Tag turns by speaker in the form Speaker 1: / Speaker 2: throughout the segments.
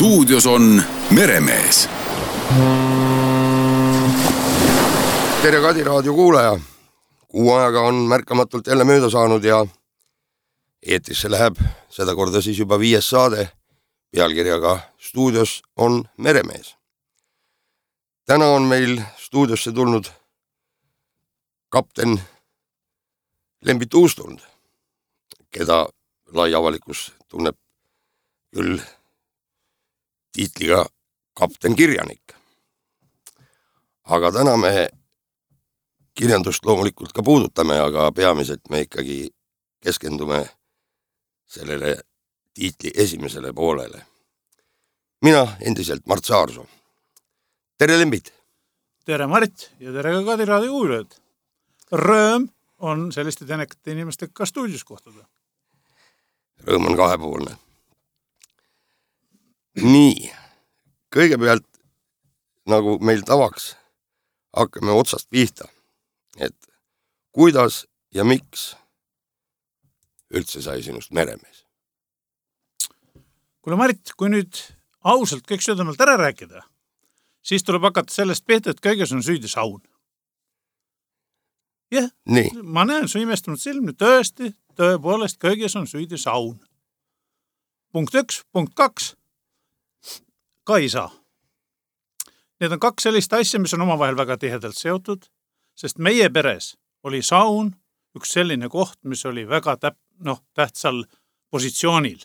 Speaker 1: Stuudios on Meremees.
Speaker 2: Tere Kadi raadio kuulaja. Kuu ajaga on märkamatult jälle mööda saanud ja eetrisse läheb sedakorda siis juba 5. saade pealkirjaga Stuudios on Meremees. Täna on meil stuudiosse tulnud kapten Lembit Uustund, keda lai avalikkus tunneb küll tiitliga kapten kirjanik. Aga täna me kirjandust loomulikult ka puudutame, aga peamiselt me ikkagi keskendume sellele tiitli esimesele poolele. Mina endiselt Mart Saarsoo. Tere Lembit!
Speaker 3: Tere Mart ja tere ka Kadi raadio kuulajad. Rõõm on selliste tänekate inimestega ka stuudios kohtuda.
Speaker 2: Rõõm on kahepoolne. Nii, kõigepealt nagu meil tavaks hakkame otsast pihta, et kuidas ja miks üldse sai sinust meremees?
Speaker 3: Kuule Mart, kui nüüd ausalt kõik südamelt ära rääkida, siis tuleb hakata sellest pihta, et kõiges on süüdi saun. Jah, ma näen su imestunud silmi, tõepoolest kõiges on süüdi saun. Punkt 1, punkt 2, ka ei saa. Need on 2 sellist asja, mis on omavahel väga tihedalt seotud, sest meie peres oli saun üks selline koht, mis oli väga tähtsal positsioonil.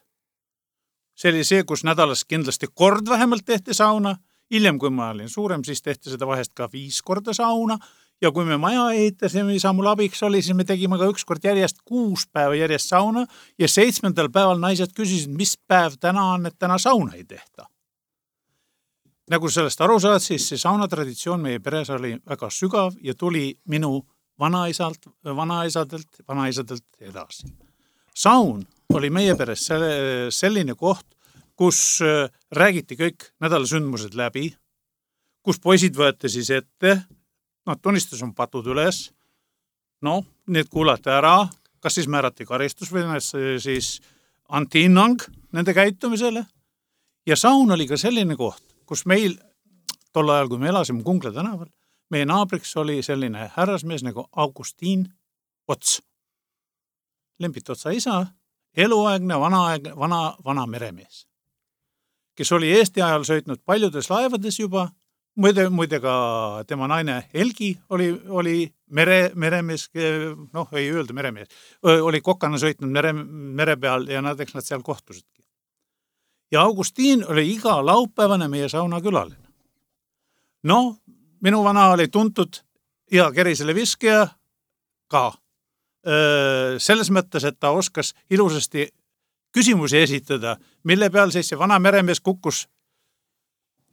Speaker 3: See oli see, kus nädalas kindlasti kord vähemalt tehti sauna. Hiljem, kui ma olin suurem, siis tehti seda vahest ka 5 korda sauna. Ja kui me maja ehitasime, isa mul abiks oli, siis me tegime ka 1 kord järjest 6 päeva järjest sauna ja 7. päeval naised küsisid, mis päev täna on, et täna sauna ei tehta. Nagu sellest aru saad, siis see saunatraditsioon meie peres oli väga sügav ja tuli minu vanaisadelt edasi. Saun oli meie peres selline koht, kus räägiti kõik nädalasündmused läbi, kus poisid võeti siis ette, tunnistus on patud üles, need kuulati ära, kas siis määrati karistus või siis anti hinnang nende käitumisele. Ja saun oli ka selline koht, kus meil tol ajal, kui me elasime Kungla tänaval, meie naabriks oli selline härrasmees nagu Augustin Ots. Lembit Otsa isa, eluaegne, vana meremees, kes oli Eesti ajal sõitnud paljudes laevades juba. Muide ka tema naine Helgi oli meremees, ei öelda meremees, oli kokana sõitnud mere peal ja nad seal kohtusidki. Ja Augustin oli iga laupäevane meie sauna külaline. Minu vana oli tuntud ja kerisele viskija ka. Selles mõttes, et ta oskas ilusasti küsimusi esitada, mille peal siis see vana meremees kukkus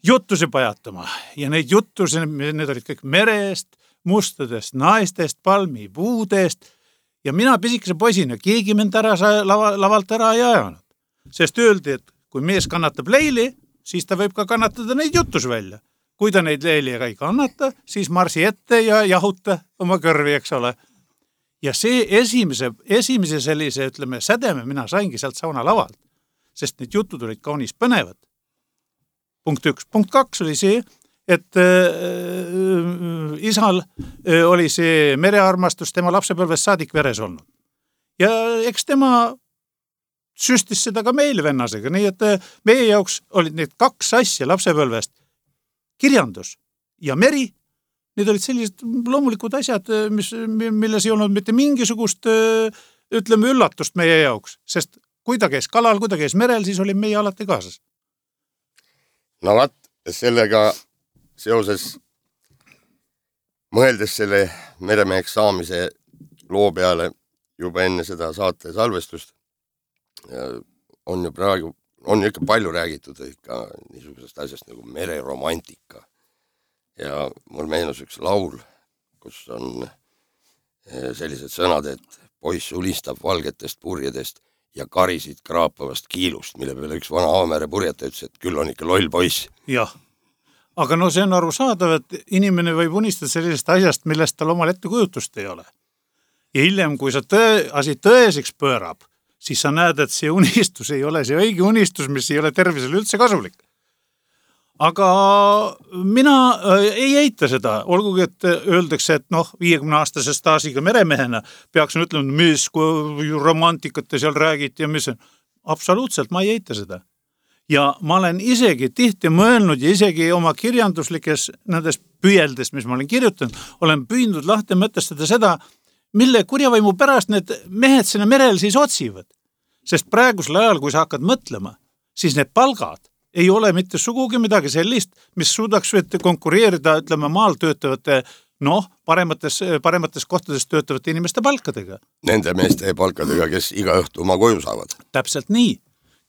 Speaker 3: juttusi pajatama. Ja neid juttusi, need olid kõik merest, mustadest naistest, palmipuudest. Ja mina pisikese poisina, keegi mind lavalt ära ei ajanud. Sest öeldi, et kui mees kannatab leili, siis ta võib ka kannatada neid juttusi välja. Kui ta neid leili ei kannata, siis marsi ette ja jahuta oma kõrvi, eks ole. Ja see esimese sellise, ütleme, sädeme mina saingi sealt sauna lavalt, sest need jutud olid kaunis põnevad. Punkt 1. Punkt 2 oli see, et isal oli see merearmastus tema lapsepõlvest saadik veres olnud. Ja eks tema süstis seda ka meil vennasega, nii et meie jaoks olid need 2 asja lapsepõlvest, kirjandus ja meri. Need olid sellised loomulikud asjad, milles ei olnud mitte mingisugust, ütleme, üllatust meie jaoks, sest kui ta käis kalal, kui ta käis merel, siis oli meie alati kaasas.
Speaker 2: Sellega seoses mõeldes selle meremeheks saamise loo peale juba enne seda saate salvestust, on ju praegu, on ikka palju räägitud ikka niisugusest asjast nagu mereromantika. Ja mul meenus üks laul, kus on sellised sõnad, et poiss ulistab valgetest purjedest ja karisid kraapavast kiilust, mille peale üks vana Aamere purjeta ütles, et küll on ikka loll poiss.
Speaker 3: Jah, aga see on arusaadav, et inimene võib unistada sellisest asjast, millest tal omal ettekujutust ei ole. Ja hiljem, kui sa asi tõeseks pöörab, siis sa näed, et see unistus ei ole see õige unistus, mis ei ole tervisele üldse kasulik. aga mina ei eita seda, olgugi, et öeldakse, et 50-aastase staažiga meremehena peaksin ütlema, mis kui romantikat te seal räägite ja mis on. Absoluutselt, ma ei eita seda. Ja ma olen isegi tihti mõelnud ja isegi oma kirjanduslikes nendes püüeldes, mis ma olen kirjutanud, olen püüdnud lahti mõtestada seda, mille kurjavaimu pärast need mehed sinna merel siis otsivad. Sest praegusel ajal, kui sa hakkad mõtlema, siis need palgad ei ole mitte sugugi midagi sellist, mis suudaks konkureerida, ütleme, maal töötavate, paremates kohtades töötavate inimeste palkadega.
Speaker 2: Nende meeste palkadega, kes iga õhtu oma koju saavad.
Speaker 3: Täpselt nii,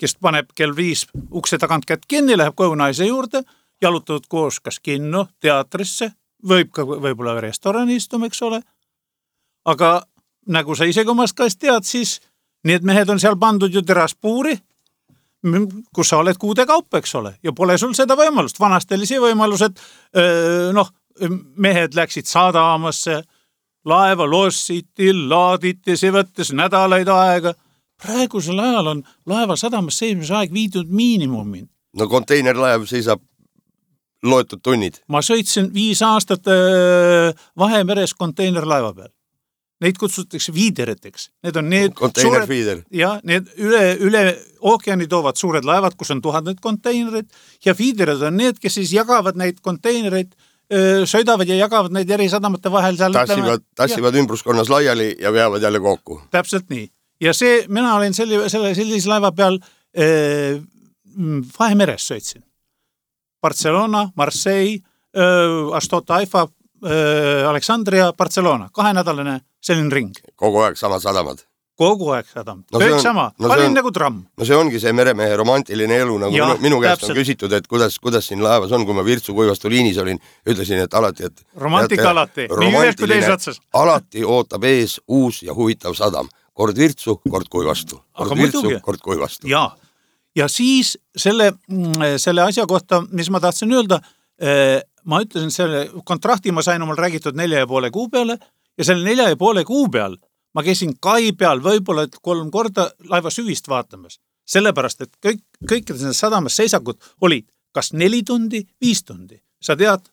Speaker 3: kes paneb kell 5 ukse tagant kätt kinni, läheb koju naise juurde, jalutavad koos kas kinno, teatrisse, võib-olla restorani istuma, eks ole. Aga nagu sa isegi omast käest tead, siis need mehed on seal pandud ju teraspuuri, kus sa oled kuude kaupa, eks ole, ja pole sul seda võimalust. Vanasti oli see võimalus, et mehed läksid sadamasse, laeva lossiti, laaditi, see võttes nädalaid aega. Praegusel ajal on laeva sadamas seismise aeg viidud miinimumin.
Speaker 2: No konteinerlaev seisab loetud tunnid.
Speaker 3: Ma sõitsin 5 aastat Vahemeres konteinerlaeva peal. Neid kutsutakse viideriteks. Need on need
Speaker 2: konteinerfiider.
Speaker 3: Ja need üle ookeani toovad suured laevad, kus on 1000 konteinerid ja fiiderid on need, kes siis jagavad neid konteinereid, sõidavad ja jagavad neid eri sadamate vahel.
Speaker 2: Tassivad ümbruskonnas laiali ja veavad jälle kokku.
Speaker 3: Täpselt nii. Ja mina olin sellise laeva peal Vahemeres sõitsin. Barcelona, Marseille, Astota Haifa, Aleksandria, Barcelona, 2-nädalane selline ring.
Speaker 2: Kogu aeg samad sadamad.
Speaker 3: Kogu aeg sadam. Kõik sama. Olin nagu tramm.
Speaker 2: No see ongi see meremehe romantiline elu, nagu minu käest on küsitud, et kuidas siin laevas on, kui ma Virtsu Kuivastu liinis olin, ütlesin, et alati, et
Speaker 3: romantika alati. Nii ühes kui teise otsas.
Speaker 2: Alati ootab ees uus ja huvitav sadam. Kord Virtsu, kord Kuivastu. Kord Virtsu, kord Kuivastu.
Speaker 3: Ja siis selle asja kohta, mis ma tahtsin öelda, ma ütlesin, selle kontrakti ma sain omal räägitud 4,5 kuu peale ja selle 4,5 kuu peal ma käisin kai peal võib-olla 3 korda laeva süvist vaatamas. Sellepärast, et kõikides sadamas seisakud olid kas 4 tundi, 5 tundi. Sa tead,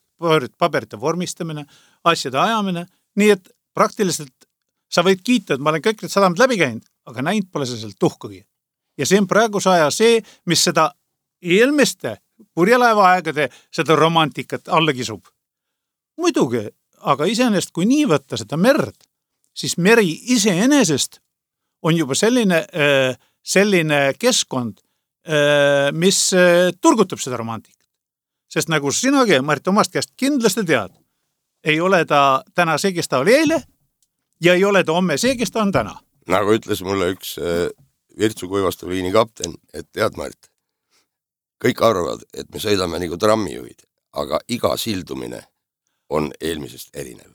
Speaker 3: paberite vormistamine, asjade ajamine, nii et praktiliselt sa võid kiita, et ma olen kõik need sadamad läbi käinud, aga näinud pole see sealt tuhkagi. Ja see on praeguse aja see, mis seda eelmiste purjelaeva aegade seda romantikat alla kisub. Muidugi, aga iseenesest kui nii võtta seda merd, siis meri iseenesest on juba selline keskkond, mis turgutab seda romantikat. Sest nagu sinagi, Marit, omast käest kindlasti tead, ei ole ta täna see, kes ta oli eile ja ei ole ta homme see, kes ta on täna.
Speaker 2: Nagu ütles mulle üks Virtsu Kuivastu liini kapten, et tead, Marit, kõik arvavad, et me sõidame nagu trammijuhid, aga iga sildumine on eelmisest erinev.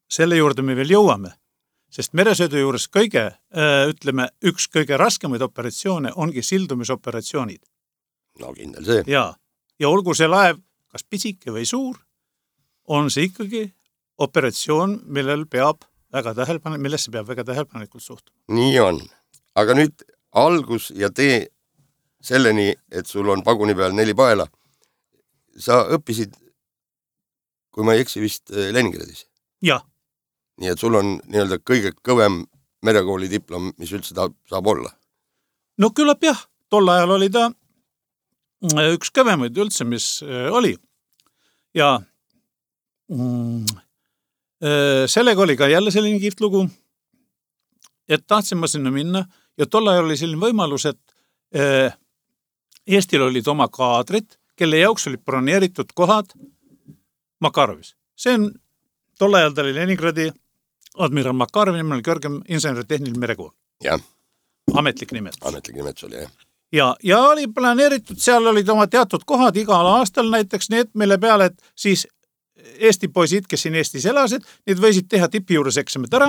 Speaker 2: Selle
Speaker 3: juurde me veel jõuame, sest meresõidu juures üks kõige raskemaid operatsioone ongi sildumisoperatsioonid.
Speaker 2: No kindel see.
Speaker 3: Ja olgu see laev kas pisike või suur, on see ikkagi operatsioon, millesse peab väga tähelepanelikult suhtuma.
Speaker 2: Nii on. Aga nüüd algus ja tee selleni, et sul on paguni peal 4 paela. Sa õppisid, kui ma ei eksi, vist Leningradis.
Speaker 3: Ja.
Speaker 2: Nii et sul on nii-öelda kõige kõvem merekooli diplom, mis üldse saab olla.
Speaker 3: No küllap jah, tol ajal oli ta üks kõvemaid üldse, mis oli. Ja sellega oli ka jälle selline kihvt lugu, et tahtsin ma sinna minna ja tol ajal oli selline võimalus, et Eestil olid oma kaadrid, kelle jaoks olid broneeritud kohad Makarovis. See on, tol ajal ta oli Leningradi admiral Makarov, nimel oli kõrgem inseneritehniline merekool.
Speaker 2: Ja.
Speaker 3: Ametlik nimetus.
Speaker 2: Ametlik nimetus oli,
Speaker 3: jah. Ja oli planeeritud, seal olid oma teatud kohad igal aastal näiteks need, mille peale, et siis Eesti poisid, kes siin Eestis elasid, need võisid teha tipi juures eksamid ära.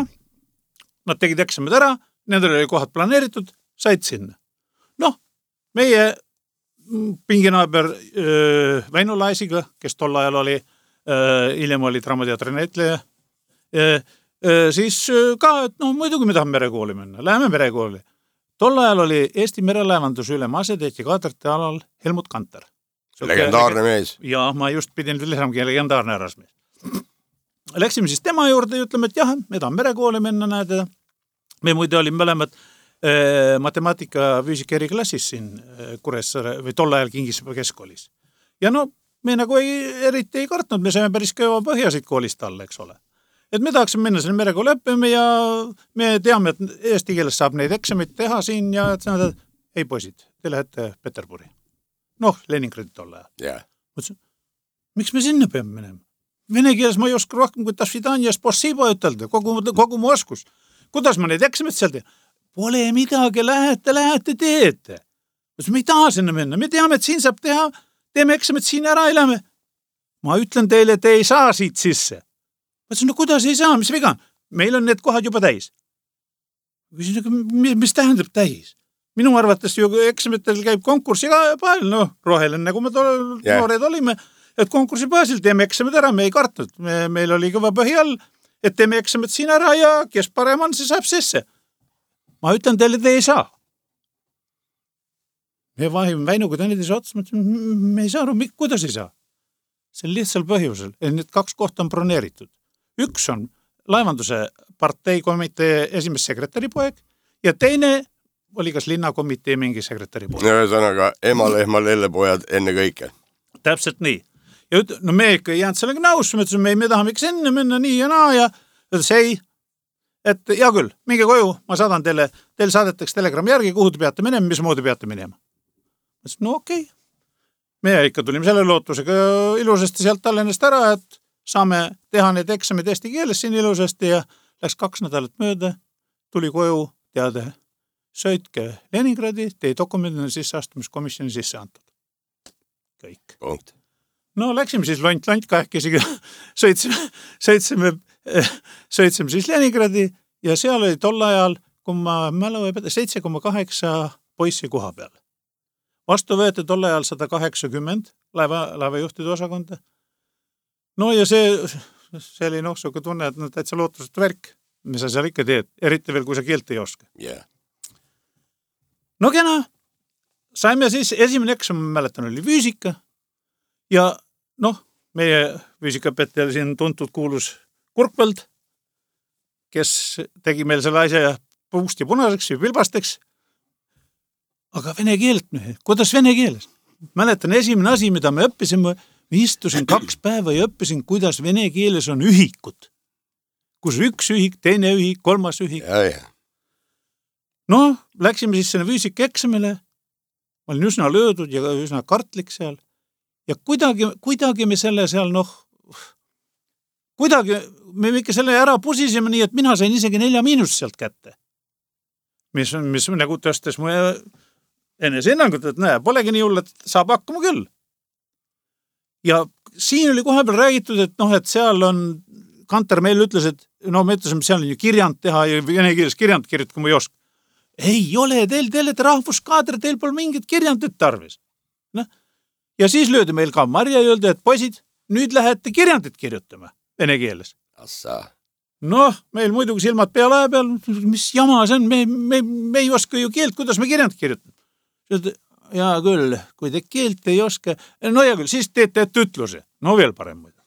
Speaker 3: Nad tegid eksamid ära, nendel oli kohad planeeritud, said sinna. Meie pinginaaber Väino Laisiga, kes tol ajal oli, hiljem oli Draamateatri näitleja, siis ka, et muidugi me tahame merekooli minna, läheme merekooli. Tol ajal oli Eesti merelaevanduse ülem asetäitja kaadrite alal Helmut Kanter.
Speaker 2: Legendaarne mees.
Speaker 3: Ja ma just pidin lisamegi legendaarne härrasmees. Läksime siis tema juurde ja ütleme, et jah, me tahame merekooli minna, näed. Me muide olime mõlemad matemaatika füüsika eriklassis siin Kuressaare või tol ajal Kingissepa keskkoolis. Ja no, me nagu eriti ei kartnud, me saime päris kõva põhjasid koolist alla, eks ole. Et me tahaksime minna selle merekooli õppima ja me teame, et eesti keeles saab neid eksamit teha siin ja et ei poisid, te lähete Peterburi. Noh, Leningradi tol ajal.
Speaker 2: Yeah.
Speaker 3: Mõtlesin, miks me sinna peame minema? Vene keeles ma ei oska rohkem kui tasvidanja spasiba ütelda, kogu mu oskus. Kuidas ma neid eksamit seal teen? Pole midagi, lähete, teete. Me ei taha sinna minna, me teame, et siin saab teha, teeme eksamit siin ära, ei lähe. Ma ütlen teile, et ei saa siit sisse. Mõtlesin, no kuidas ei saa, mis viga? Meil on need kohad juba täis. Mis tähendab täis? Minu arvates ju eksamitel käib konkursi baasil, noh, roheline, nagu me noored olime, et konkursi baasil teeme eksamid ära, me ei kartnud. Meil oli kõva põhi all, et teeme eksamid siin ära ja kes parem on, see saab sisse. Ma ütlen teile, te ei saa. Me vahime Väinuga teineteise otsas, me ei saa aru, kuidas ei saa. See on lihtsal põhjusel, et need 2 kohta on broneeritud. Üks on laevanduse parteikomitee esimest sekretäri poeg ja teine oli kas linnakomitee mingi sekretäri poeg.
Speaker 2: Ühesõnaga, ema-lehma lellepojad enne kõike.
Speaker 3: Täpselt nii. Ja no me ikka ei jäänud sellega nõus, me ütlesime, me tahame ikka enne minna nii ja naa ja ütles ei, et hea küll, minge koju, ma saadan teile saadetakse telegrammi järgi, kuhu te peate minema, mismoodi peate minema. No okei. Me ikka tulime selle lootusega ilusasti sealt Tallinnast ära, et saame teha need eksamid eesti keeles siin ilusasti ja läks 2 nädalat mööda, tuli koju teade, sõitke Leningradi, teie dokumendina sisseastumiskomisjoni sisse antud. Kõik.
Speaker 2: Punkt.
Speaker 3: No läksime siis lont kahekesi, sõitsime siis Leningradi ja seal oli tol ajal, kui ma mälu ei pea, 7,8 poissi koha peal. Vastu võeti tol ajal 180 laevajuhtide osakonda. No ja see oli suuke tunne, et täitsa lootusest värk, mis sa seal ikka teed, eriti veel, kui sa keelt ei oska.
Speaker 2: Yeah.
Speaker 3: No kena, saime siis, esimene eksam, ma mäletan, oli füüsika ja noh, meie füüsikaõpetaja siin tuntud kuulus Kurkveld, kes tegi meil selle asja puust ja punaseks ja pilbasteks. Aga vene keelt, kuidas vene keeles? Mäletan, esimene asi, mida me õppisime, istusin 2 päeva ja õppisin, kuidas vene keeles on ühikud. Kus üks ühik, teine ühik, 3. ühik.
Speaker 2: Ja.
Speaker 3: No, läksime siis selle füüsika eksamile. Ma olin üsna löödud ja üsna kartlik seal. Ja kuidagi me selle seal, kuidagi me ikka selle ära pusisime nii, et mina sain isegi 4 sealt kätte. Mis nagu tõstes mu enese hinnangut, et polegi nii hull, et saab hakkama küll. Ja siin oli kohe peal räägitud, et seal on, Kanter meil ütles, et me ütlesime, seal on ju kirjand teha ja vene keeles kirjand kirjutada, kui ma ei oska. Ei ole, teil olete rahvuskaader, teil pole mingit kirjandit tarvis. Ja siis löödi meil ka Marja ja öeldi, et poisid, nüüd lähete kirjandit kirjutama vene keeles.
Speaker 2: Assa.
Speaker 3: Noh, meil muidugi silmad peale peal, mis jama see on, me ei oska ju keelt, kuidas me kirjandit kirjutame. Ja küll, kui te keelt ei oska, no ja küll, siis teete ütluse. No veel parem muidu.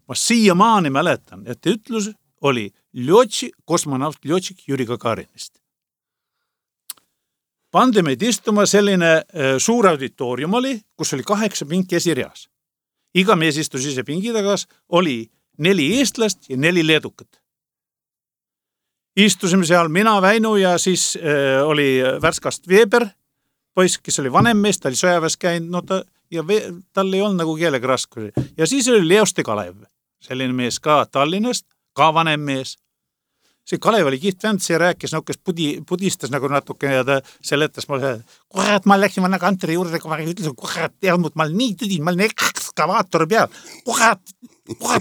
Speaker 3: Ma siiamaani mäletan, et ütlus oli kosmonaut Ljotsik Jüri Gagarinist. Pandi meid istuma selline suur auditoorium oli, kus oli 8 pinki esirjas. Iga mees istus ise pingi tagas, oli 4 eestlast ja 4 leedukat. Istusime seal mina, Väinu ja siis oli Värskast Veeber, poiss, kes oli vanem mees, ta oli sõjaväes käinud, tal ei olnud nagu keelega raskusi. Ja siis oli Leoste Kalev, selline mees ka Tallinnast, ka vanem mees. See Kalev oli kihtvend, see rääkis, kes pudistas nagu natuke ja ta seletas mulle, kurat, ma läksin vanna Kanteri juurde, kui ma ütlesin, kurat, ma olen nii tõdin, ma olen ekskavaatori peal. Kurat,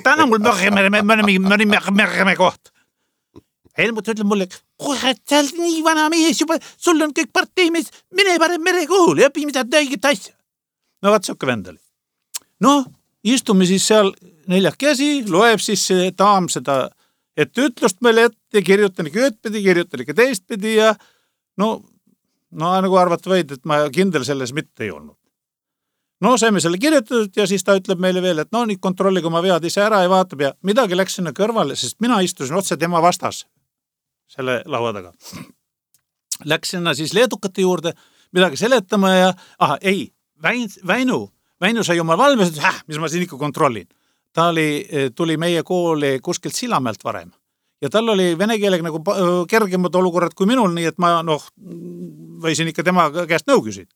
Speaker 3: täna mul mörgeme koht. Helmut ütleb mulle, kurat, sa oled nii vana mees juba, sul on kõik parteimees, mine parem merekool ja õpi mida õiget asja. No vaat siuke vend oli. No, istume siis seal 4 käsi, loeb siis see daam seda, et ütlust meile ette, kirjutan ikka ühtpidi, kirjutan ikka teistpidi ja no nagu arvata võid, et ma kindel selles mitte ei olnud. No saime selle kirjutatud ja siis ta ütleb meile veel, et no nüüd kontrollige oma vead ise ära ja vaatab ja midagi läks sinna kõrvale, sest mina istusin otse tema vastas selle laua taga. Läks sinna siis leedukate juurde midagi seletama ja Väinu sai oma valmis, et mis ma siin ikka kontrollin. Ta tuli meie kooli kuskilt Sillamäelt varem ja tal oli vene keelega nagu kergemad olukorrad kui minul, nii et ma võisin ikka tema käest nõu küsida.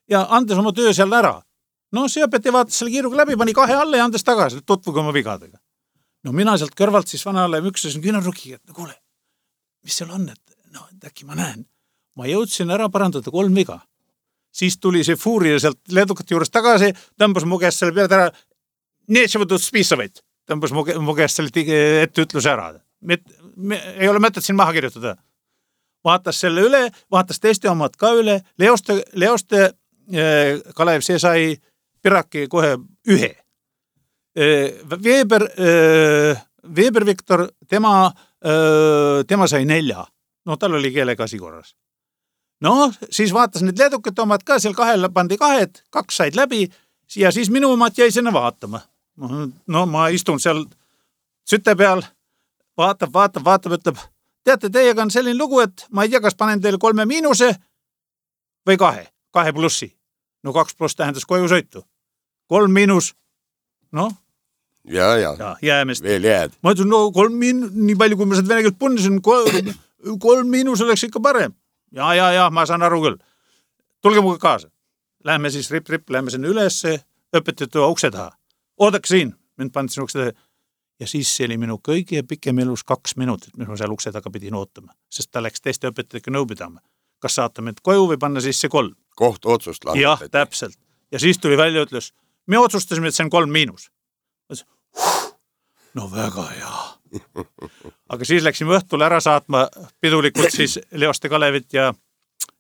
Speaker 3: Ja andes oma töö seal ära. No see õpetaja vaatas selle kiiruga läbi, pani 2 alla ja andes tagasi, tutvuge oma vigadega. No mina sealt kõrvalt siis vanale müksasin küünarrukiga, et kuule, mis seal on, et äkki ma näen. Ma jõudsin ära parandada 3 viga. Siis tuli see fuuria sealt leedukate juures tagasi, tõmbas mu käest selle peale ära, neetsevõtud spiisavaid, tõmbas mu käest selle ette ütluse ära. Ei ole mõtet siin maha kirjutada. Vaatas selle üle, vaatas teiste omad ka üle, Leoste Kalev, see sai Piraki kohe 1. Veber Viktor, tema sai 4. No tal oli keelega asi korras. No, siis vaatas need leedukate omad ka, seal 2 pandi 2, 2 said läbi ja siis minu omad jäi sinna vaatama. No ma istun seal süte peal, vaatab, ütleb, teate, teiega on selline lugu, et ma ei tea, kas panen teile 3 miinuse või 2 plussi. No 2 pluss tähendas koju sõitu. 3 miinus, no.
Speaker 2: Ja,
Speaker 3: jäämest.
Speaker 2: Veel jääd.
Speaker 3: Ma ütlen, no 3 nii palju, kui ma seda vene keelt punnisin, 3 miinus oleks ikka parem. Ja, ma saan aru küll. Tulge muga kaasa. Läheme siis rip, läheme sinna üles, õpetajate ukse taha. Oodake siin, mind pandsin ukse taha. Ja siis see oli minu kõige pikem elus 2 minutit, mis ma seal ukse taga pidin ootama, sest ta läks teiste õpetajatega nõu pidama. Kas saata mind koju või panna sisse 3?
Speaker 2: Kohtu otsust langetati.
Speaker 3: Jah, täpselt. Ja siis tuli välja ütles, me otsustasime, et see on 3 miinus. No väga hea. Aga siis läksime õhtul ära saatma pidulikult siis Leoste Kalevit ja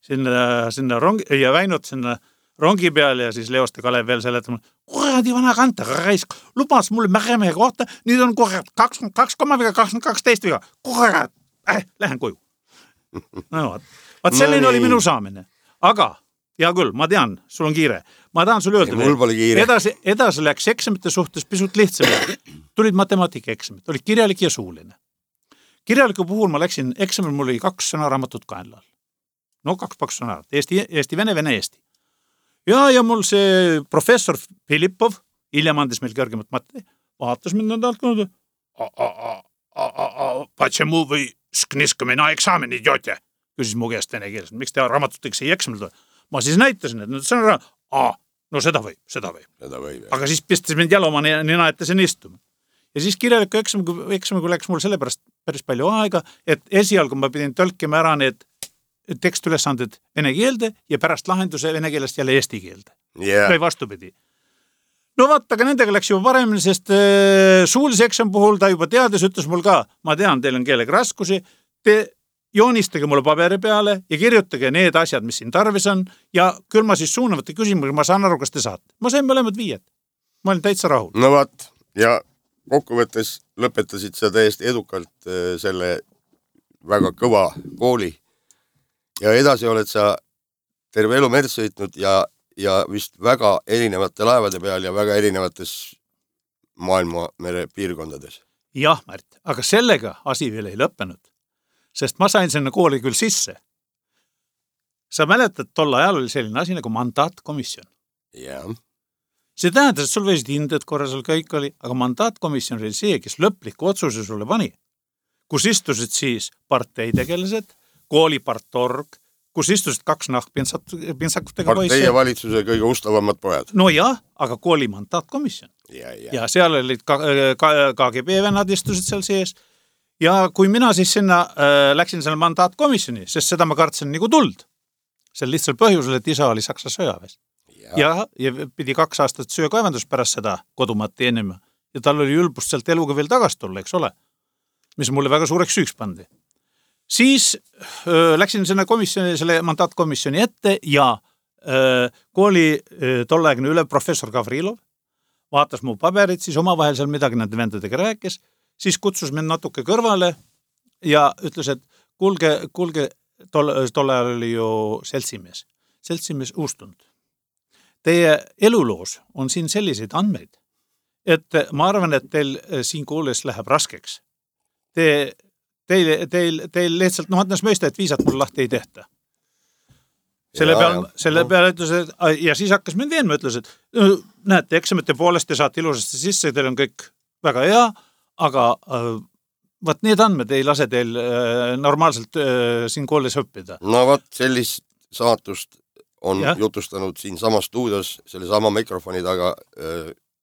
Speaker 3: sinna rongi ja Väinut sinna rongi peal ja siis Leoste Kalev veel seletama, kuradi vana kanta, raisk, lubas mulle Märemehe kohta, nüüd on kurat 22 teist viga, kurat, lähen koju. No vaat selline oli minu saamine. Aga, hea küll, ma tean, sul on kiire. Ma tahan sulle öelda,
Speaker 2: mul pole kiire.
Speaker 3: Edasi läks eksamite suhtes pisut lihtsamalt. Tulid matemaatika eksamid, oli kirjalik ja suuline. Kirjaliku puhul ma läksin eksamil, mul oli 2 sõnaraamatut kaenlal. No 2 paks sõnaraamat, Eesti, Vene, Eesti. Ja mul see professor Filippov, hiljem andis meil kõrgemat matte, vaatas mind nädalt kuulda. Почему вы скнисками на экзамени идете? Küsis mu käest vene keeles, miks te raamatuteks ei eksamil tule? Ma siis näitasin, et see on no seda võib. Aga siis pistas mind jälle oma nina ette siin istuma. Ja siis kirjaliku eksamiga läks mul sellepärast päris palju aega, et esialgu ma pidin tõlkima ära need tekstülesanded vene keelde ja pärast lahenduse vene keelest jälle eesti keelde. Või vastupidi. No vaata, aga nendega läks juba paremini, sest suulise eksam puhul ta juba teades ütles mul ka, ma tean, teil on keelega raskusi, te joonistage mulle paberi peale ja kirjutage need asjad, mis siin tarvis on ja küll ma siis suunavate küsimusega, ma saan aru, kas te saate. Ma sain mõlemad 5. Ma olin täitsa rahul.
Speaker 2: No vaat, ja kokkuvõttes lõpetasid sa täiesti edukalt selle väga kõva kooli ja edasi oled sa terve elu merd sõitnud ja vist väga erinevate laevade peal ja väga erinevates maailmamere piirkondades.
Speaker 3: Jah, Märt, aga sellega asi veel ei lõppenud, sest ma sain sinna kooli küll sisse. Sa mäletad, tol ajal oli selline asi nagu mandaatkomisjon.
Speaker 2: Jah.
Speaker 3: See tähendas, et sul võisid hinded korra seal kõik oli, aga mandaatkomisjon oli see, kes lõpliku otsuse sulle pani, kus istusid siis parteitegelased, koolipartorg, kus istusid 2 nahkpintsakutega poisse.
Speaker 2: Partei ja valitsuse kõige ustavamad pojad.
Speaker 3: No jah, aga kooli mandaatkomisjon. Ja seal olid KGB vennad istusid seal sees. Ja kui mina siis sinna läksin selle mandaatkomisjoni, sest seda ma kartsin nagu tuld. Sel lihtsal põhjusel, et isa oli Saksa sõjaväes. Ja pidi 2 aastat söökaevandus pärast seda kodumaad teenima. Ja tal oli ülbust sealt eluga veel tagasi tulla, eks ole? Mis mulle väga suureks süüks pandi. Siis läksin sinna komisjoni, selle mandaatkomisjoni ette ja kooli tolleaegne üle professor Gavrilov vaatas mu paberit, siis omavahel seal midagi nende vendadega rääkis, siis kutsus mind natuke kõrvale ja ütles, et kuulge, tol ajal oli ju seltsimees uustunud. teie eluloos on siin selliseid andmeid, et ma arvan, et teil siin koolis läheb raskeks. Teil lihtsalt, no mõtles mõista, et viisat mul lahti ei tehta. Selle peale ütles, ja siis hakkas mind veenma, ütles, et näete, eksamite poolest te saate ilusasti sisse, teil on kõik väga hea, aga võt need andmed ei lase teil normaalselt siin koolis õppida.
Speaker 2: No võt, sellist saatust on jutustanud siin sama stuudios selle sama mikrofoni taga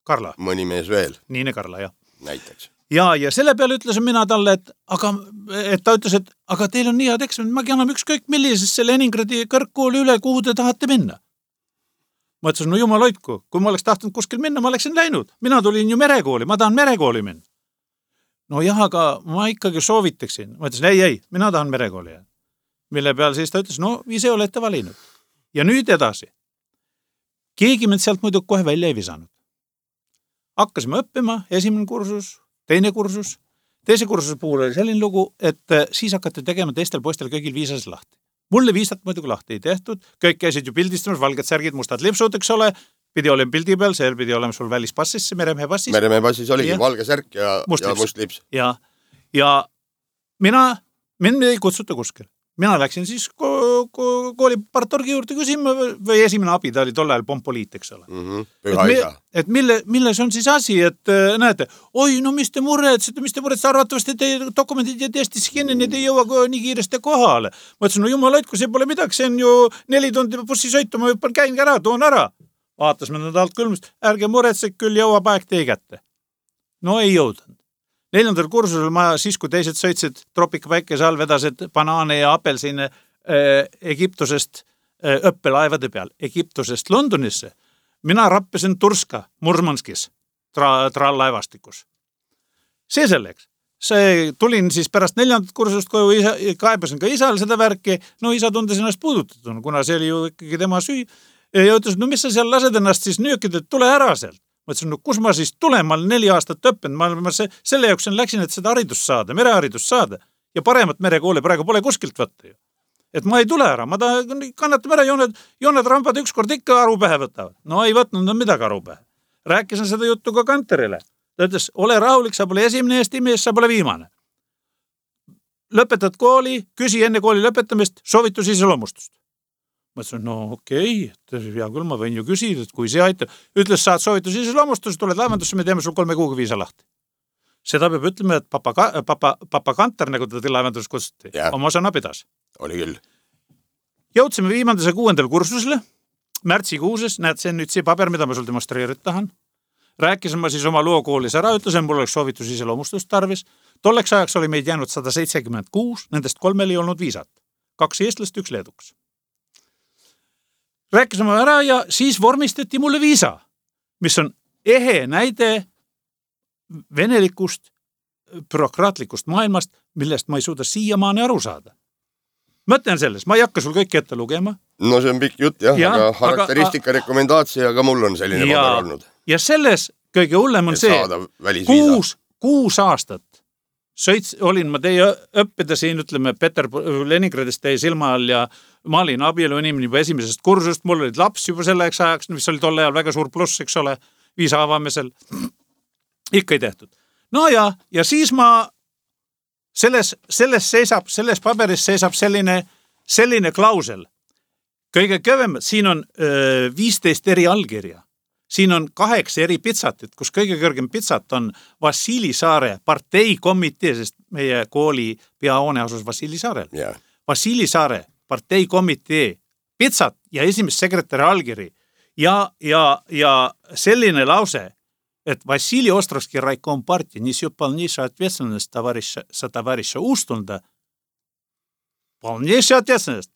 Speaker 3: Karla.
Speaker 2: Mõni mees veel.
Speaker 3: Niine Karla, jah.
Speaker 2: Näiteks.
Speaker 3: Ja selle peale ütlesin mina talle, et ta ütles, et aga teil on nii head eksamid, ma anname ükskõik millisesse Leningradi kõrgkooli üle, kuhu te tahate minna. Ma ütlesin, no jumal hoidku, kui ma oleks tahtnud kuskil minna, ma oleksin läinud. Mina tulin ju merekooli, ma tahan merekooli minna. No jah, aga ma ikkagi soovitaksin. Ma ütlesin, ei, mina tahan merekooli. Mille peal siis ta ütles, no ise olete valinud. Ja nüüd edasi. Keegi mind sealt muidu kohe välja ei visanud. Hakkasime õppima, esimene kursus, teine kursus. Teise kursuse puhul oli selline lugu, et siis hakati tegema teistel poistel kõigil viisas lahti. Mulle viisat muidugi lahti ei tehtud, kõik käisid ju pildistamas, valged särgid, mustad lipsud, eks ole, pidi olema pildi peal, see pidi olema sul välispassis, meremehe passis.
Speaker 2: Meremehe passis oligi valge särk ja must lips.
Speaker 3: Ja mind ei kutsuta kuskil. Mina läksin siis kooli partorgi juurde küsima või esimene abi, ta oli tol ajal pompoliit, eks ole. Et milles on siis asi, et näete, oi, no mis te muretsete, arvatavasti teie dokumendid ja testis kinni, need ei jõua nii kiiresti kohale. Ma ütlesin, no jumal hoidku, see pole midagi, see on ju 4 tundi bussi sõitu, ma juba käin ära, toon ära. Vaatas me nad alt külmust, ärge muretsege, küll jõuab aeg teie kätte. No ei jõudnud. 4. kursusel ma siis, kui teised sõitsid tropika päikese all, vedasid banaane ja apelsine Egiptusest õppelaevade peal, Egiptusest Londonisse. Mina rappisin Turska Murmanskis trallaevastikus. See selleks. Tulin siis pärast 4. kursust koju, kaebasin ka isal seda värki, no isa tundes ennast puudutatud, kuna see oli ju ikkagi tema süü. Ja ütles, no mis sa seal lased ennast siis nöökida, et tule ära sealt. Ma ütlesin, no kus ma siis tulen, ma olen 4 aastat õppinud, ma selle jaoks läksin, et seda haridust saada, mereharidust saada ja paremat merekooli praegu pole kuskilt võtta ju. Et ma ei tule ära, ma kannatame ära, jooned rambad ükskord ikka aru pähe võtavad. No ei võtnud midagi aru pähe. Rääkisin seda juttu ka kanterile. Ta ütles, ole rahulik, sa pole esimene Eesti mees, sa pole viimane. Lõpetad kooli, küsi enne kooli lõpetamist, soovitus iseloomustust. Ma ütlesin, no okei, hea küll, ma võin ju küsida, et kui see aitab. Ütles, saad soovitus iseloomustust, tuled laevandusse, me teeme sul 3 kuuga viisa lahti. Seda peab ütlema, et papa Kanter, nagu ta laevandus kutsuti, oma sõna pidas.
Speaker 2: Oli küll.
Speaker 3: Jõudsime viimandase 6. kursusele, märtsikuuses, näed, see on nüüd see paber, mida ma sul demonstreerid tahan. Rääkisin ma siis oma loo koolis ära, ütlesin, mul oleks soovitus iseloomustust tarvis. Tolleks ajaks oli meid jäänud 176, nendest 3 ei olnud viisat. 2 eestlast, 1 leeduks. Rääkisime ära ja siis vormistati mulle viisa, mis on ehe näide venelikust, bürokraatlikust maailmast, millest ma ei suuda siiamaani aru saada. Mõtlen selles, ma ei hakka sul kõik ette lugema.
Speaker 2: No see on pikk jutt, aga karakteristika rekomendaatsia, aga mul on selline paber olnud.
Speaker 3: Ja selles kõige hullem on see, 6 aastat olin ma teie õppida siin, ütleme, Leningradist teie silma all ja ma olin abielu inimene juba esimesest kursust, mul olid laps juba selleks ajaks, mis oli tolle ajal väga suur pluss, eks ole, viisa avamisel. Ikka ei tehtud. No ja siis ma selles paberis seisab selline klausel. Kõige kõvem, siin on 15 eri allkirja. Siin on 8 eri pitsatit, kus kõige kõrgem pitsat on Vassili Saare parteikomitee, sest meie kooli peahoone asus Vassili Saarel.
Speaker 2: Yeah.
Speaker 3: Vassili Saare parteikomitee pitsat ja esimest sekretäri allkiri ja selline lause, et Vassili Ostrovski raikom partii несет полнейшую ответственность товарища Устунда. Полнейшую ответственность.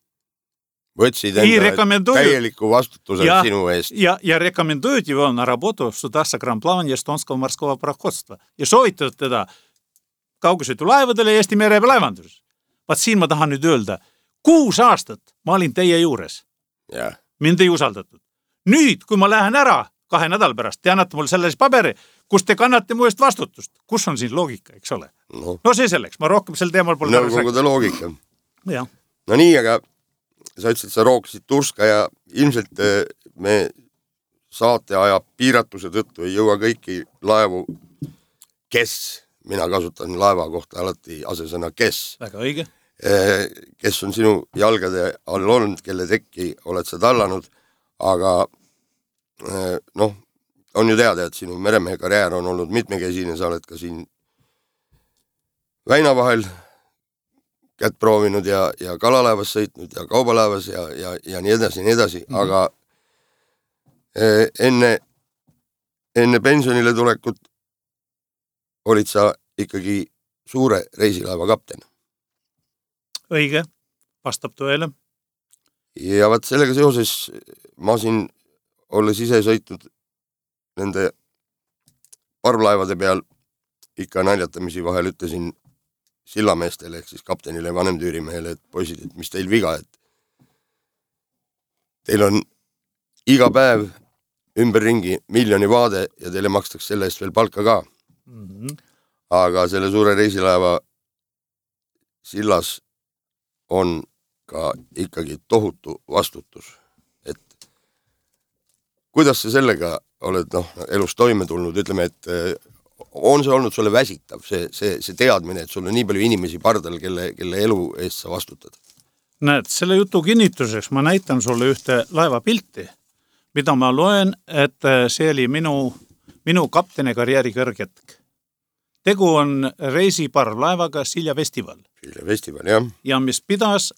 Speaker 2: Võtsid enda täieliku vastutuse sinu eest.
Speaker 3: Ja rekomenduют его на работу в судах согранплавания Эстонского морского пароходства. Ja soovitavad teda kaugusõitulaevadele Eesti merelaevanduses. Vaat siin ma tahan nüüd öelda, 6 aastat ma olin teie juures.
Speaker 2: Yeah.
Speaker 3: Mind ei usaldatud. Nüüd, kui ma lähen ära 2 nädala pärast, te annate mul selles paberi, kus te kannate mu eest vastutust. Kus on siin loogika, eks ole? No see selleks, ma rohkem sel teemal pole
Speaker 2: nõukogude loogika.
Speaker 3: Ja.
Speaker 2: No nii, aga sa ütlesid, sa rookisid Turska ja ilmselt me saateaja piiratuse tõttu ei jõua kõiki laevu, kes, mina kasutan laeva kohta alati asesõna kes.
Speaker 3: Väga õige.
Speaker 2: Kes on sinu jalgade all olnud, kelle tekki oled sa tallanud, aga noh, on ju teada, et sinu meremehe karjäär on olnud mitmekesine, sa oled ka siin väina kätt proovinud ja kalalaevas sõitnud ja kaubalaevas ja nii edasi, aga enne pensionile tulekut olid sa ikkagi suure reisilaeva kapten.
Speaker 3: Õige, vastab tõele.
Speaker 2: Ja vaat sellega seoses ma siin olles ise sõitnud nende parvlaevade peal ikka naljatamisi vahel ütlesin sillameestele ehk siis kaptenile, vanemtüürimehele, et poisid, et mis teil viga, et teil on iga päev ümberringi miljoni vaade ja teile makstakse selle eest veel palka ka. Aga selle suure reisilaeva sillas on ka ikkagi tohutu vastutus. Et kuidas sa sellega oled elus toime tulnud, ütleme, et on see olnud sulle väsitav, see teadmine, et sul on nii palju inimesi pardal, kelle elu eest sa vastutad?
Speaker 3: Näed, selle jutu kinnituseks ma näitan sulle ühte laevapilti, mida ma loen, et see oli minu kapteni karjääri kõrgetk. Tegu on reisiparvlaevaga Silja Festival.
Speaker 2: Silja Festival, jah.
Speaker 3: Ja mis pidas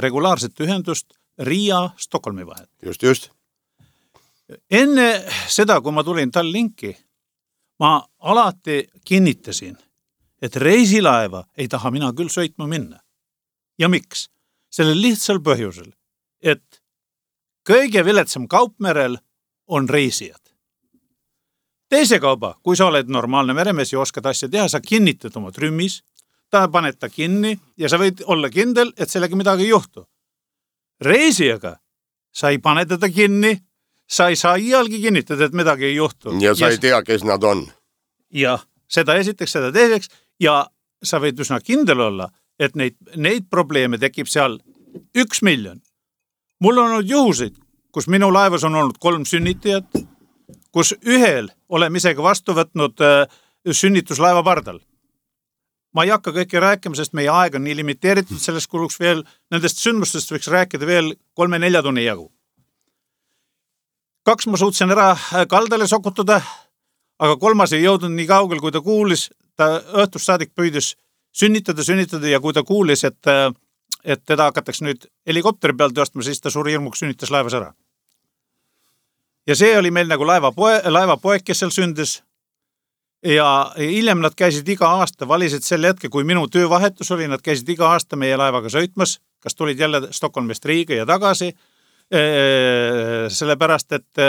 Speaker 3: regulaarset ühendust Riia-Stockholmi vahel.
Speaker 2: Just.
Speaker 3: Enne seda, kui ma tulin Tallinki, ma alati kinnitasin, et reisilaeva ei taha mina küll sõitma minna. Ja miks? Sellel lihtsal põhjusel, et kõige viletsam kaupmerel on reisijad. Teise kauba, kui sa oled normaalne meremees ja oskad asja teha, sa kinnitad oma trümmis, ta paned ta kinni ja sa võid olla kindel, et sellega midagi ei juhtu. Reisijaga sa ei pane teda kinni, sa ei saa iialgi kinnitada, et midagi ei juhtu.
Speaker 2: Ja sa ei tea, kes nad on.
Speaker 3: Ja seda esiteks, seda teiseks ja sa võid üsna kindel olla, et neid probleeme tekib seal 1 miljon. Mul on olnud juhuseid, kus minu laevas on olnud 3 sünnitajat, kus ühel oleme isegi vastu võtnud sünnituslaeva pardal. Ma ei hakka kõike rääkima, sest meie aeg on nii limiteeritud, sellest kuluks veel, nendest sündmustest võiks rääkida veel 3-4 tunni jagu. 2 ma suutsin ära kaldale sokutada, aga 3 ei jõudnud nii kaugel, kui ta kuulis, ta õhtust saadik püüdis sünnitada ja kui ta kuulis, et teda hakatakse nüüd helikopteri peal tõstma, siis ta suuri hirmuks sünnitas laevas ära. Ja see oli meil nagu laevapoeg, kes seal sündis. Ja hiljem nad käisid iga aasta, valisid selle hetke, kui minu töövahetus oli, nad käisid iga aasta meie laevaga sõitmas, kas tulid jälle Stockholmist Riiga ja tagasi, sellepärast, et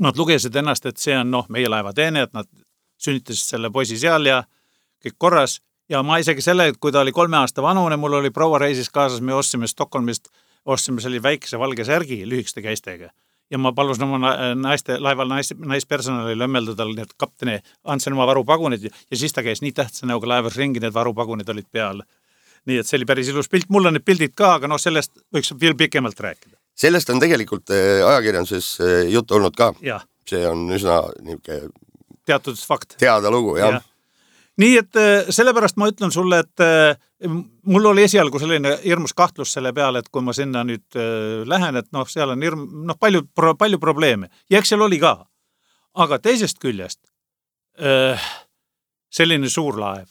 Speaker 3: nad lugesid ennast, et see on meie laevateene, et nad sünnitasid selle poisi seal ja kõik korras. Ja ma isegi selle, et kui ta oli 3 aasta vanune, mul oli proua reisis kaasas, me ostsime Stockholmist, selle väikese valge särgi lühikeste käistega. Ja ma palusin oma laeval naispersonalile õmmeldada need kapteni, andsin oma varupagunid ja siis ta käis nii tähtsa näoga laevas ringi, need varupagunid olid peal. Nii et see oli päris ilus pilt, mul on need pildid ka, aga sellest võiks veel pikemalt rääkida.
Speaker 2: Sellest on tegelikult ajakirjanduses juttu olnud ka.
Speaker 3: Ja.
Speaker 2: See on üsna niisugune
Speaker 3: teatud fakt.
Speaker 2: Teada lugu, jah.
Speaker 3: Ja. Nii et sellepärast ma ütlen sulle, et mul oli esialgu selline hirmus kahtlus selle peale, et kui ma sinna nüüd lähen, et seal on palju probleeme. Ja eks seal oli ka. Aga teisest küljest selline suur laev.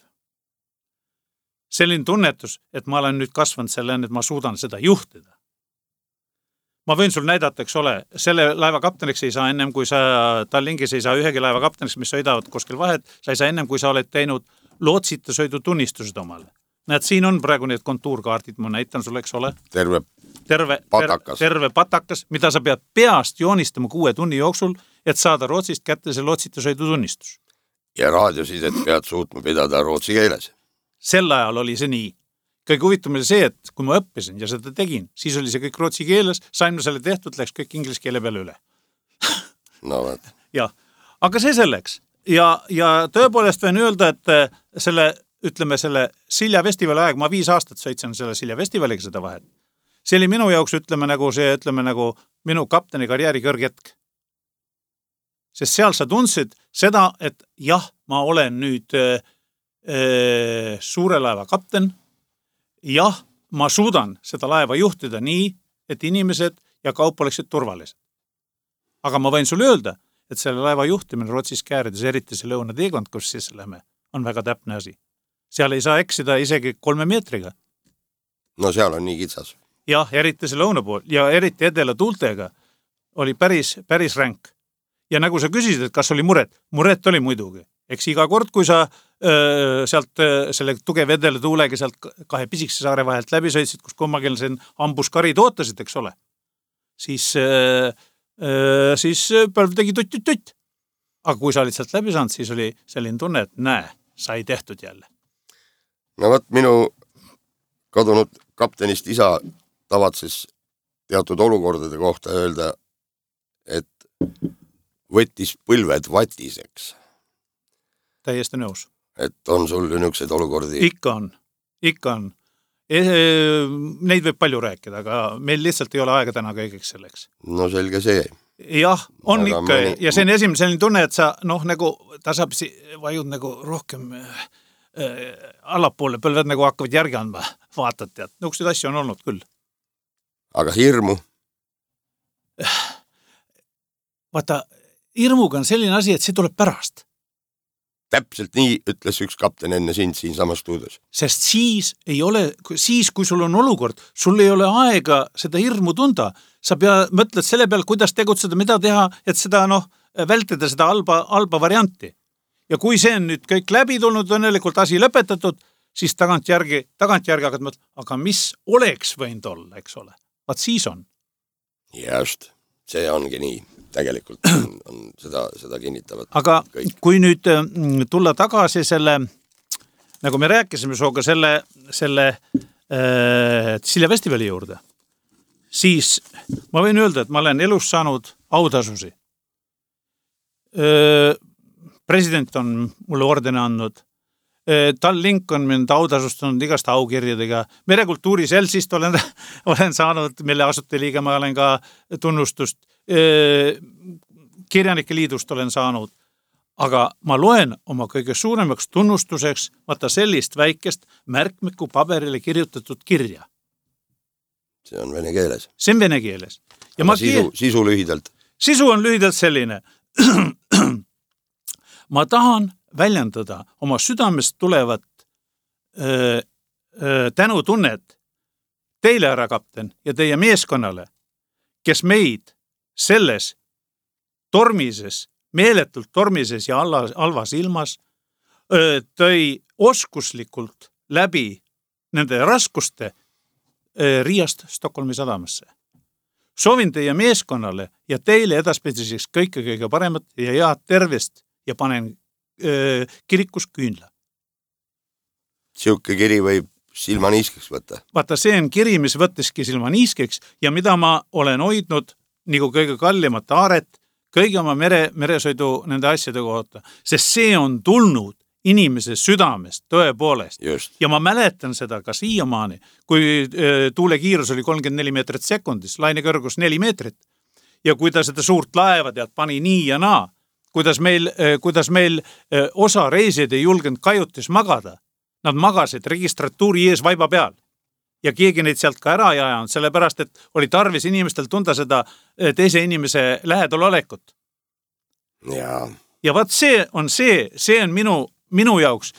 Speaker 3: Selline tunnetus, et ma olen nüüd kasvanud selline, et ma suudan seda juhtida. Ma võin sul näidata, eks ole, selle laeva kapteniks ei saa ennem, kui sa Tallinkis ei saa ühegi laeva kapteniks, mis sõidavad kuskil vahet, sa ei saa ennem, kui sa oled teinud lootsita sõidu tunnistused omale. Näed, siin on praegu need kontuurkaardid, ma näitan sulle, eks ole. Terve patakas, mida sa pead peast joonistama 6 tunni jooksul, et saada Rootsist kätte see lootsita sõidu tunnistus.
Speaker 2: Ja raadiosidet pead suutma pidada rootsi keeles.
Speaker 3: Sel ajal oli see nii. Kõige huvitav oli see, et kui ma õppisin ja seda tegin, siis oli see kõik rootsi keeles, sain selle tehtud, läks kõik inglise keele peale üle.
Speaker 2: No vaat.
Speaker 3: Ja, aga see selleks. Ja tõepoolest võin öelda, et selle Silja Festivali aeg, ma 5 aastat sõitsin selle Silja Festivaliga seda vahet. See oli minu jaoks, ütleme nagu minu kapteni karjääri kõrgetk. sest seal sa tundsid seda, et jah, ma olen nüüd suure laeva kapten. Jah, ma suudan seda laeva juhtida nii, et inimesed ja kaup oleksid turvalised. Aga ma võin sulle öelda, et selle laeva juhtimine Rootsis käärides, eriti see lõunateekond, kus siis lähme, on väga täpne asi. Seal ei saa eksida isegi 3 meetriga.
Speaker 2: No seal on nii kitsas.
Speaker 3: Jah, eriti see lõuna pool ja eriti edela tuultega oli päris ränk. Ja nagu sa küsisid, et kas oli muret? Muret oli muidugi. Eks iga kord, kui sa sealt selle tugev edela tuulega sealt 2 pisikese saare vahelt läbi sõitsid, kus kummagil sen ambuskarid ootasid, eks ole, siis põlv tegi tutt. Aga kui sa olid sealt läbi saanud, siis oli selline tunne, et näe, sai tehtud jälle.
Speaker 2: No võt, minu kadunud kaptenist isa tavatses teatud olukordade kohta öelda, et võttis põlved vatiseks.
Speaker 3: Täiesti nõus.
Speaker 2: Et on sul niisuguseid olukordi?
Speaker 3: Ikka on. Neid võib palju rääkida, aga meil lihtsalt ei ole aega täna kõigeks selleks.
Speaker 2: No selge see.
Speaker 3: Jah, on aga ikka ja see on esimene selline tunne, et sa nagu tasapisi vajud nagu rohkem allapoole, põlved nagu hakkavad järgi andma, vaatad tead. Nõukseid asju on olnud küll.
Speaker 2: Aga hirmu?
Speaker 3: Vaata, hirmuga on selline asi, et see tuleb pärast.
Speaker 2: Täpselt nii ütles üks kapten enne sind siin samas stuudios.
Speaker 3: Sest siis, kui sul on olukord, sul ei ole aega seda hirmu tunda. Sa mõtled selle peal, kuidas tegutseda, mida teha, et seda vältida seda halba varianti. Ja kui see on nüüd kõik läbi tulnud, õnnelikult asi lõpetatud, siis tagantjärgi hakkad mõtlema, aga mis oleks võinud olla, eks ole? Vaat siis on.
Speaker 2: Just, see ongi nii. Tegelikult on seda kinnitavad.
Speaker 3: Aga
Speaker 2: kõik.
Speaker 3: Kui nüüd tulla tagasi selle, nagu me rääkisime sooga selle Silja festivali juurde, siis ma võin öelda, et ma olen elus saanud autasusi. President on mulle ordene andnud. Tallink on mind autasustanud igast aukirjadega. Merekultuuri Selsist olen saanud, mille asuteliige ma olen ka tunnustust. Kirjanike liidust olen saanud. Aga ma loen oma kõige suuremaks tunnustuseks vaata sellist väikest märkmiku paberile kirjutatud kirja.
Speaker 2: See on vene keeles.
Speaker 3: See on vene keeles. Ja
Speaker 2: sisu lühidalt? Sisu
Speaker 3: on lühidalt selline. Ma tahan väljendada oma südamest tulevat tänutunnet teile, härra kapten, ja teie meeskonnale, kes meid selles meeletult tormises ja halvas ilmas tõi oskuslikult läbi nende raskuste Riiast Stockholmi sadamasse. Soovin teie meeskonnale ja teile edaspidiseks kõige paremat ja head tervist ja panen kirikus küünla.
Speaker 2: Siuke kiri võib silmaniiskeks võtta.
Speaker 3: Vaata, see on kiri, mis võttiski silmaniiskeks ja mida ma olen hoidnud nagu kõige kallimat aaret, kõige oma meresõidu nende asjade kohta, sest see on tulnud inimese südamest tõepoolest.
Speaker 2: Just.
Speaker 3: Ja ma mäletan seda ka siiamaani, kui tuule kiirus oli 34 meetrit sekundis, laine kõrgus 4 meetrit ja kui ta seda suurt laeva pani nii ja naa, kuidas meil osa reisijaid ei julgenud kajutis magada. Nad magasid registratuuri ees vaiba peal ja keegi neid sealt ka ära ei ajanud, sellepärast, et oli tarvis inimestel tunda seda teise inimese lähedal olekut. Ja vaat see on minu jaoks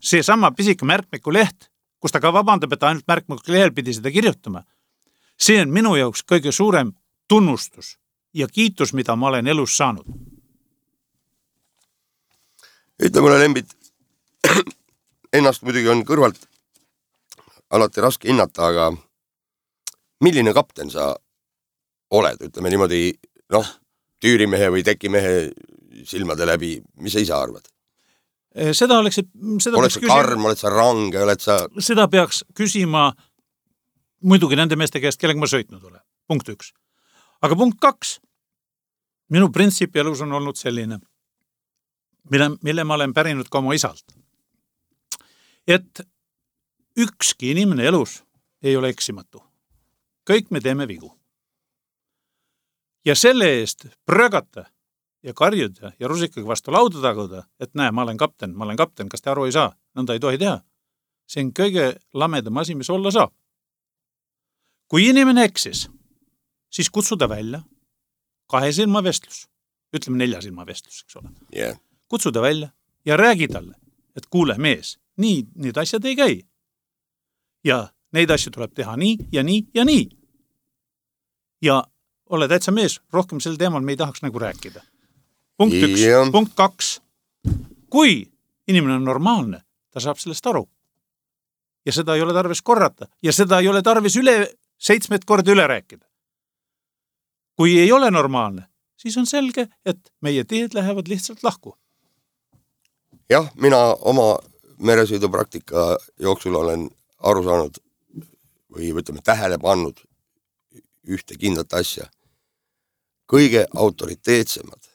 Speaker 3: see sama pisike märkmiku leht, kus ta ka vabandab, et ainult märkmiku lehel pidi seda kirjutama. See on minu jaoks kõige suurem tunnustus ja kiitus, mida ma olen elus saanud.
Speaker 2: Ütle mulle, Lembit, ennast muidugi on kõrvalt alati raske hinnata, aga milline kapten sa oled? Ütleme niimoodi, tüürimehe või tekimehe silmade läbi, mis sa ise arvad?
Speaker 3: Oled
Speaker 2: sa karm, oled sa range, oled sa...
Speaker 3: Seda peaks küsima muidugi nende meeste käest, kellega ma sõitnud olen. Punkt 1. Aga punkt 2. Minu printsiip elus on olnud selline, mille ma olen pärinud ka oma isalt. Et ükski inimene elus ei ole eksimatu. Kõik me teeme vigu. Ja selle eest prögata ja karjud ja rusikaga vastu lauda taguda, et näe, ma olen kapten, kas te aru ei saa? Nõnda ei tohi teha. See on kõige lamedam asi, mis olla saab. Kui inimene eksis, siis kutsuda välja 2 silma vestlus, ütleme 4 silma vestlus, eks ole.
Speaker 2: Yeah.
Speaker 3: Kutsuda välja ja räägi talle, et kuule mees, nii need asjad ei käi. Ja neid asju tuleb teha nii ja nii ja nii. Ja ole täitsa mees, rohkem sel teemal me ei tahaks nagu rääkida. Punkt 1. Yeah. Punkt 2. Kui inimene on normaalne, ta saab sellest aru. Ja seda ei ole tarvis korrata. Ja seda ei ole tarvis 7 korda üle rääkida. Kui ei ole normaalne, siis on selge, et meie teed lähevad lihtsalt lahku.
Speaker 2: Jah, mina oma meresõidupraktika jooksul olen aru saanud või võtame tähele pannud ühte kindlat asja. Kõige autoriteetsemad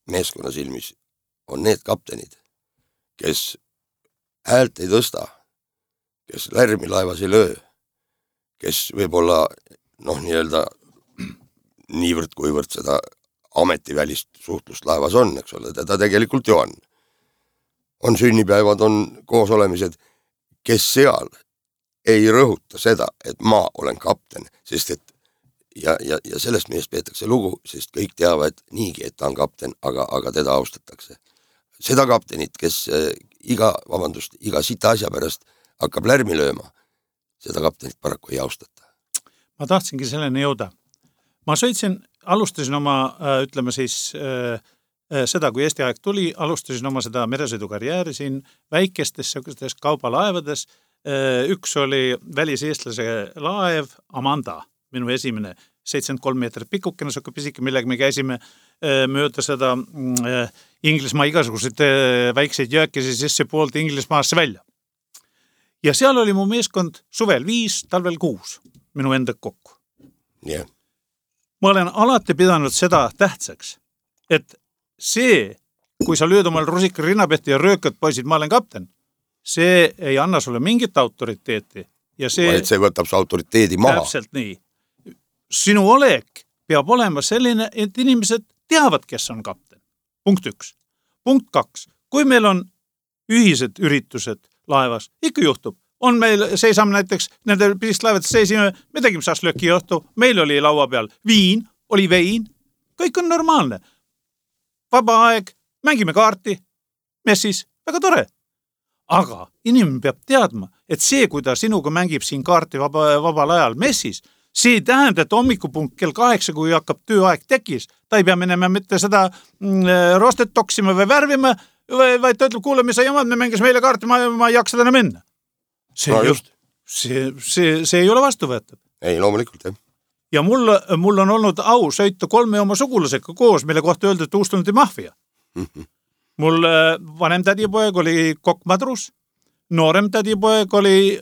Speaker 2: meeskonna silmis on need kaptenid, kes häält ei tõsta, kes lärmi laevas ei löö, kes võib-olla nii-öelda niivõrd kuivõrd seda ametivälist suhtlust laevas on, eks ole, ta tegelikult ju on. On sünnipäevad, on koosolemised, kes seal ei rõhuta seda, et ma olen kapten, sest et ja sellest meest peetakse lugu, sest kõik teavad niigi, et ta on kapten, aga teda austatakse. Seda kaptenit, kes iga sita asja pärast hakkab lärmi lööma, seda kaptenit paraku ei austata.
Speaker 3: Ma tahtsingi selleni jõuda. Ma alustasin oma, ütleme siis, seda, kui Eesti aeg tuli, alustasin oma seda meresõidukarjääri siin väikestes kaubalaevades. Üks oli väliseestlase laev Amanda, minu esimene 73 meetrit pikkukene, suke pisike, millega me käisime mööda seda Inglismaa igasuguseid väikseid jääkesi sisse poolt Inglismaasse välja. Ja seal oli mu meeskond suvel 5, talvel 6, minu enda kokku.
Speaker 2: Yeah.
Speaker 3: Ma olen alati pidanud seda tähtsaks, et see, kui sa lööd omal rusika rinnapehti ja röökad poisid, ma olen kapten, see ei anna sulle mingit autoriteeti. Ja see
Speaker 2: võtab su autoriteedi maha.
Speaker 3: Täpselt nii. Sinu olek peab olema selline, et inimesed teavad, kes on kapten. Punkt 1. Punkt 2. Kui meil on ühised üritused laevas, ikka juhtub. On meil, seisame näiteks, nende pisist laevades seisime, me tegime šašlöki õhtu, meil oli laua peal viin, oli vein, kõik on normaalne. Vaba aeg, mängime kaarti, messis, väga tore. Aga inimene peab teadma, et see, kui ta sinuga mängib siin kaarti vabal ajal messis, see tähendab, et hommikupunkt kell 8, kui hakkab tööaeg tekis, ta ei pea minema mitte seda rostet toksima või värvima, vaid ta ütleb, kuule, mis sa jamad, me mängis meile kaarti, ma ei jaksa täna minna. See ei ole vastuvõetav.
Speaker 2: Ei, loomulikult, jah.
Speaker 3: Ja mul on olnud au sõita 3 oma sugulasega koos, mille kohta öeldi, et Uustundi mafia. Mul vanem tädipoeg oli kokkmadrus, noorem tädipoeg oli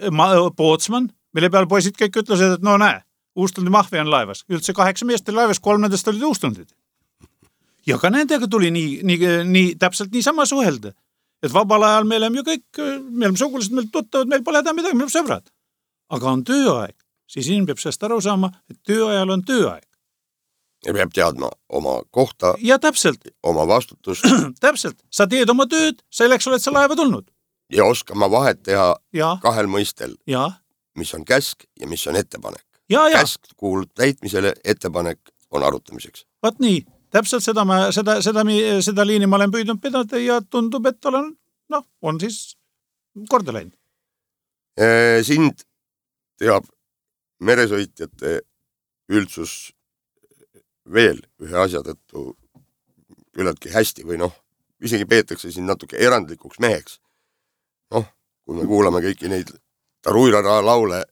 Speaker 3: pootsman, mille peal poisid kõik ütlesid, et no näe, Uustundi mafia on laevas. Üldse 8 meest oli laevas, 3 nendest olid Uustundid. Ja ka nendega tuli täpselt nii sama suhelda. Et vabal ajal me oleme ju kõik, me oleme sugulased, meil tuttavad, meil pole häda midagi, me oleme sõbrad. Aga on tööaeg, siis inimene peab sellest aru saama, et tööajal on tööaeg.
Speaker 2: Ja peab teadma oma kohta,
Speaker 3: ja täpselt.
Speaker 2: Oma vastutust.
Speaker 3: Täpselt, sa teed oma tööd, selleks oled sa laeva tulnud.
Speaker 2: Ja oskama vahet teha 2 mõistel, mis on käsk ja mis on ettepanek. Käsk kuulub täitmisele, ettepanek on arutamiseks.
Speaker 3: Vaat nii. Täpselt seda liini ma olen püüdnud pidada ja tundub, et on siis korda läinud.
Speaker 2: Sind teab meresõitjate üldsus veel ühe asja tõttu küllaltki hästi või isegi peetakse siin natuke erandlikuks meheks. Kui me kuulame kõiki neid taruirara laule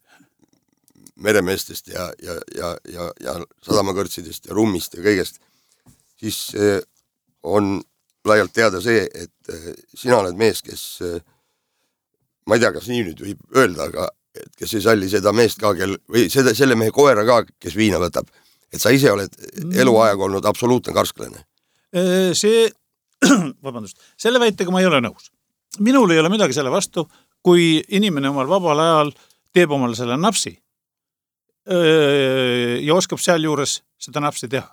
Speaker 2: meremeestest ja sadamakõrtsidest ja rummist ja kõigest, siis on laialt teada see, et sina oled mees, kes, ma ei tea, kas nii nüüd võib öelda, aga et kes ei salli seda meest ka, või selle mehe koera ka, kes viina võtab, et sa ise oled eluaeg olnud absoluutne karsklane.
Speaker 3: Selle väitega ma ei ole nõus. Minul ei ole midagi selle vastu, kui inimene omal vabal ajal teeb omal selle napsi ja oskab seal juures seda napsi teha.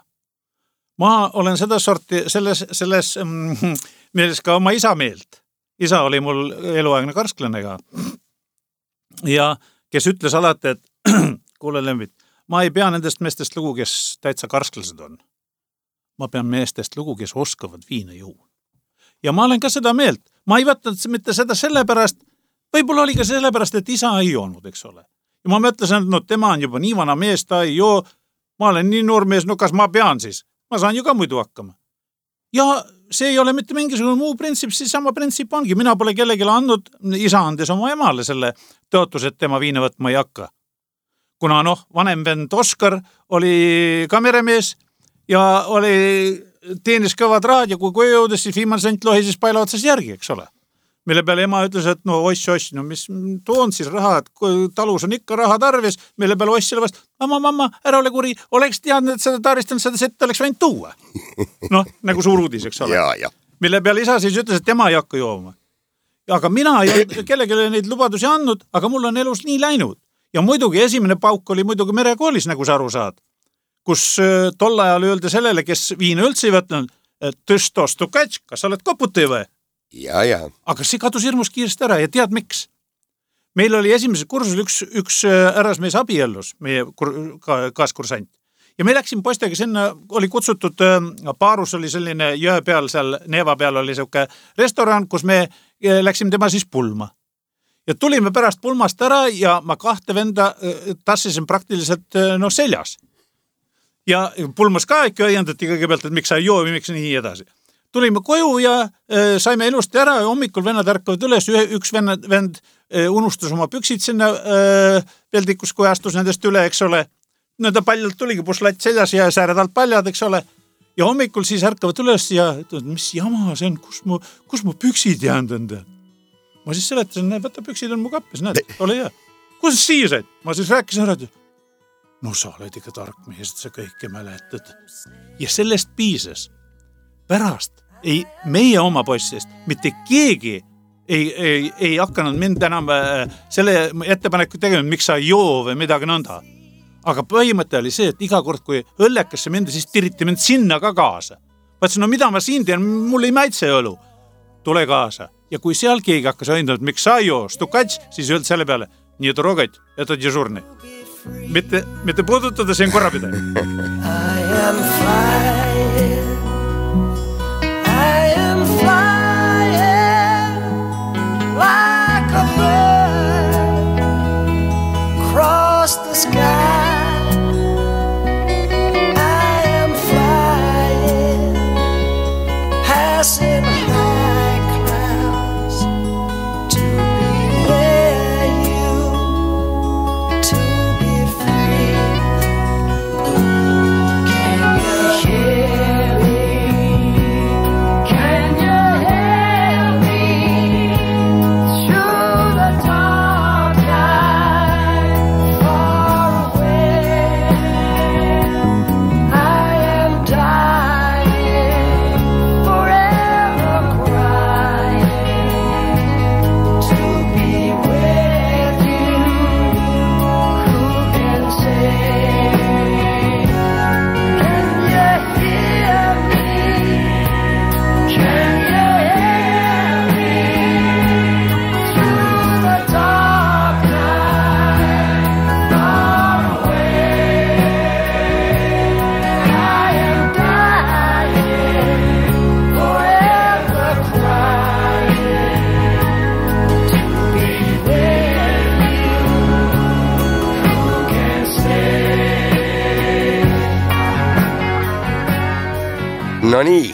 Speaker 3: Ma olen seda sorti selles meeles ka oma isa meelt. Isa oli mul eluaegne karsklane ka. Ja kes ütles alati, et kuule Lembit, ma ei pea nendest meestest lugu, kes täitsa karsklased on. Ma pean meestest lugu, kes oskavad viina juua. Ja ma olen ka seda meelt. Ma ei võtnud mitte seda sellepärast, võib-olla oli ka sellepärast, et isa ei joonud, eks ole. Ja ma mõtlesin, et no tema on juba nii vana mees, ta ei joo, ma olen nii noor mees, no kas ma pean siis? Ma saan ju ka muidu hakkama. Ja see ei ole mitte mingisugune muu printsiip, siis sama printsiip ongi. Mina pole kellelegi andnud, isa andes oma emale selle tõotus, et tema viina võtma ei hakka. Kuna vanem vend Oskar oli kameremees ja teenis kõvad raad ja kui jõudes, siis viimane sent lohises paela otsas järgi, eks ole. Mille peale ema ütles, et oss, mis toon siis raha, et talus on ikka raha tarvis, mille peale oss selle vast, mamma, ära ole kuri, oleks teadnud, et seda taristanud, seda sette oleks võinud tuua. Nagu suur uudis, eks ole.
Speaker 2: Ja.
Speaker 3: Mille peale isa siis ütles, et tema ei hakka jooma. Aga mina ei ole kellelegi neid lubadusi andnud, aga mul on elus nii läinud. Ja muidugi esimene pauk oli muidugi merekoolis, nagu sa aru saad, kus tol ajal öelda sellele, kes viina üldse ei võtnud, et tõsto stukats, kas sa oled koputi või?
Speaker 2: Ja.
Speaker 3: Aga see kadus hirmus kiiresti ära ja tead miks? Meil oli esimesel kursusel üks härrasmees abiellus, meie kaaskursant. Ja me läksime poistega sinna, oli kutsutud, Paarus oli selline jõe peal, seal Neeva peal oli selline restoran, kus me läksime tema siis pulma. Ja tulime pärast pulmast ära ja ma 2 venda tassisin praktiliselt seljas. Ja pulmas ka ikka õiendati kõigepealt, et miks sa ei joo või miks nii edasi. Tulime koju ja saime ilusti ära ja hommikul vennad ärkavad üles, üks vend unustas oma püksid sinna peldikus, kui astus nendest üle, eks ole. Nõnda paljalt tuligi puslatt seljas ja sääred alt paljad, eks ole. Ja hommikul siis ärkavad üles ja ütlevad, mis jama see on, kus mu püksid jäänud on? Ma siis seletasin, võta püksid on mu kappis, näed, ole hea. Kus siia said? Ma siis rääkisin ära, no sa oled ikka tark mees, et sa kõike mäletad. Ja sellest piisas. Pärast ei meie oma poissist, mitte keegi ei hakanud mind enam selle ettepaneku tegema, miks sa ei joo või midagi nõnda. Aga põhimõte oli see, et iga kord, kui õllekasse mindi, siis tiriti mind sinna ka kaasa. Vaatsin, no mida ma siin teen, mul ei maitse õlu. Tule kaasa. Ja kui seal keegi hakkas õindanud, miks sa ei joo, stukats, siis öeldi selle peale, nii trogad, это дежурный. Mitte puudutada siin korrapidaja.
Speaker 4: I am flying like a bird across the sky. I am flying, passing high clouds to be where you, to be free. Can you hear me? Can you hear me? Through the dark night, far away. I am dying, forever crying, to be with you. Who can say? Can you hear me? Can you hear me? Through the dark night, far away. I am dying, forever crying, to be with you. Who can say?
Speaker 2: No nii,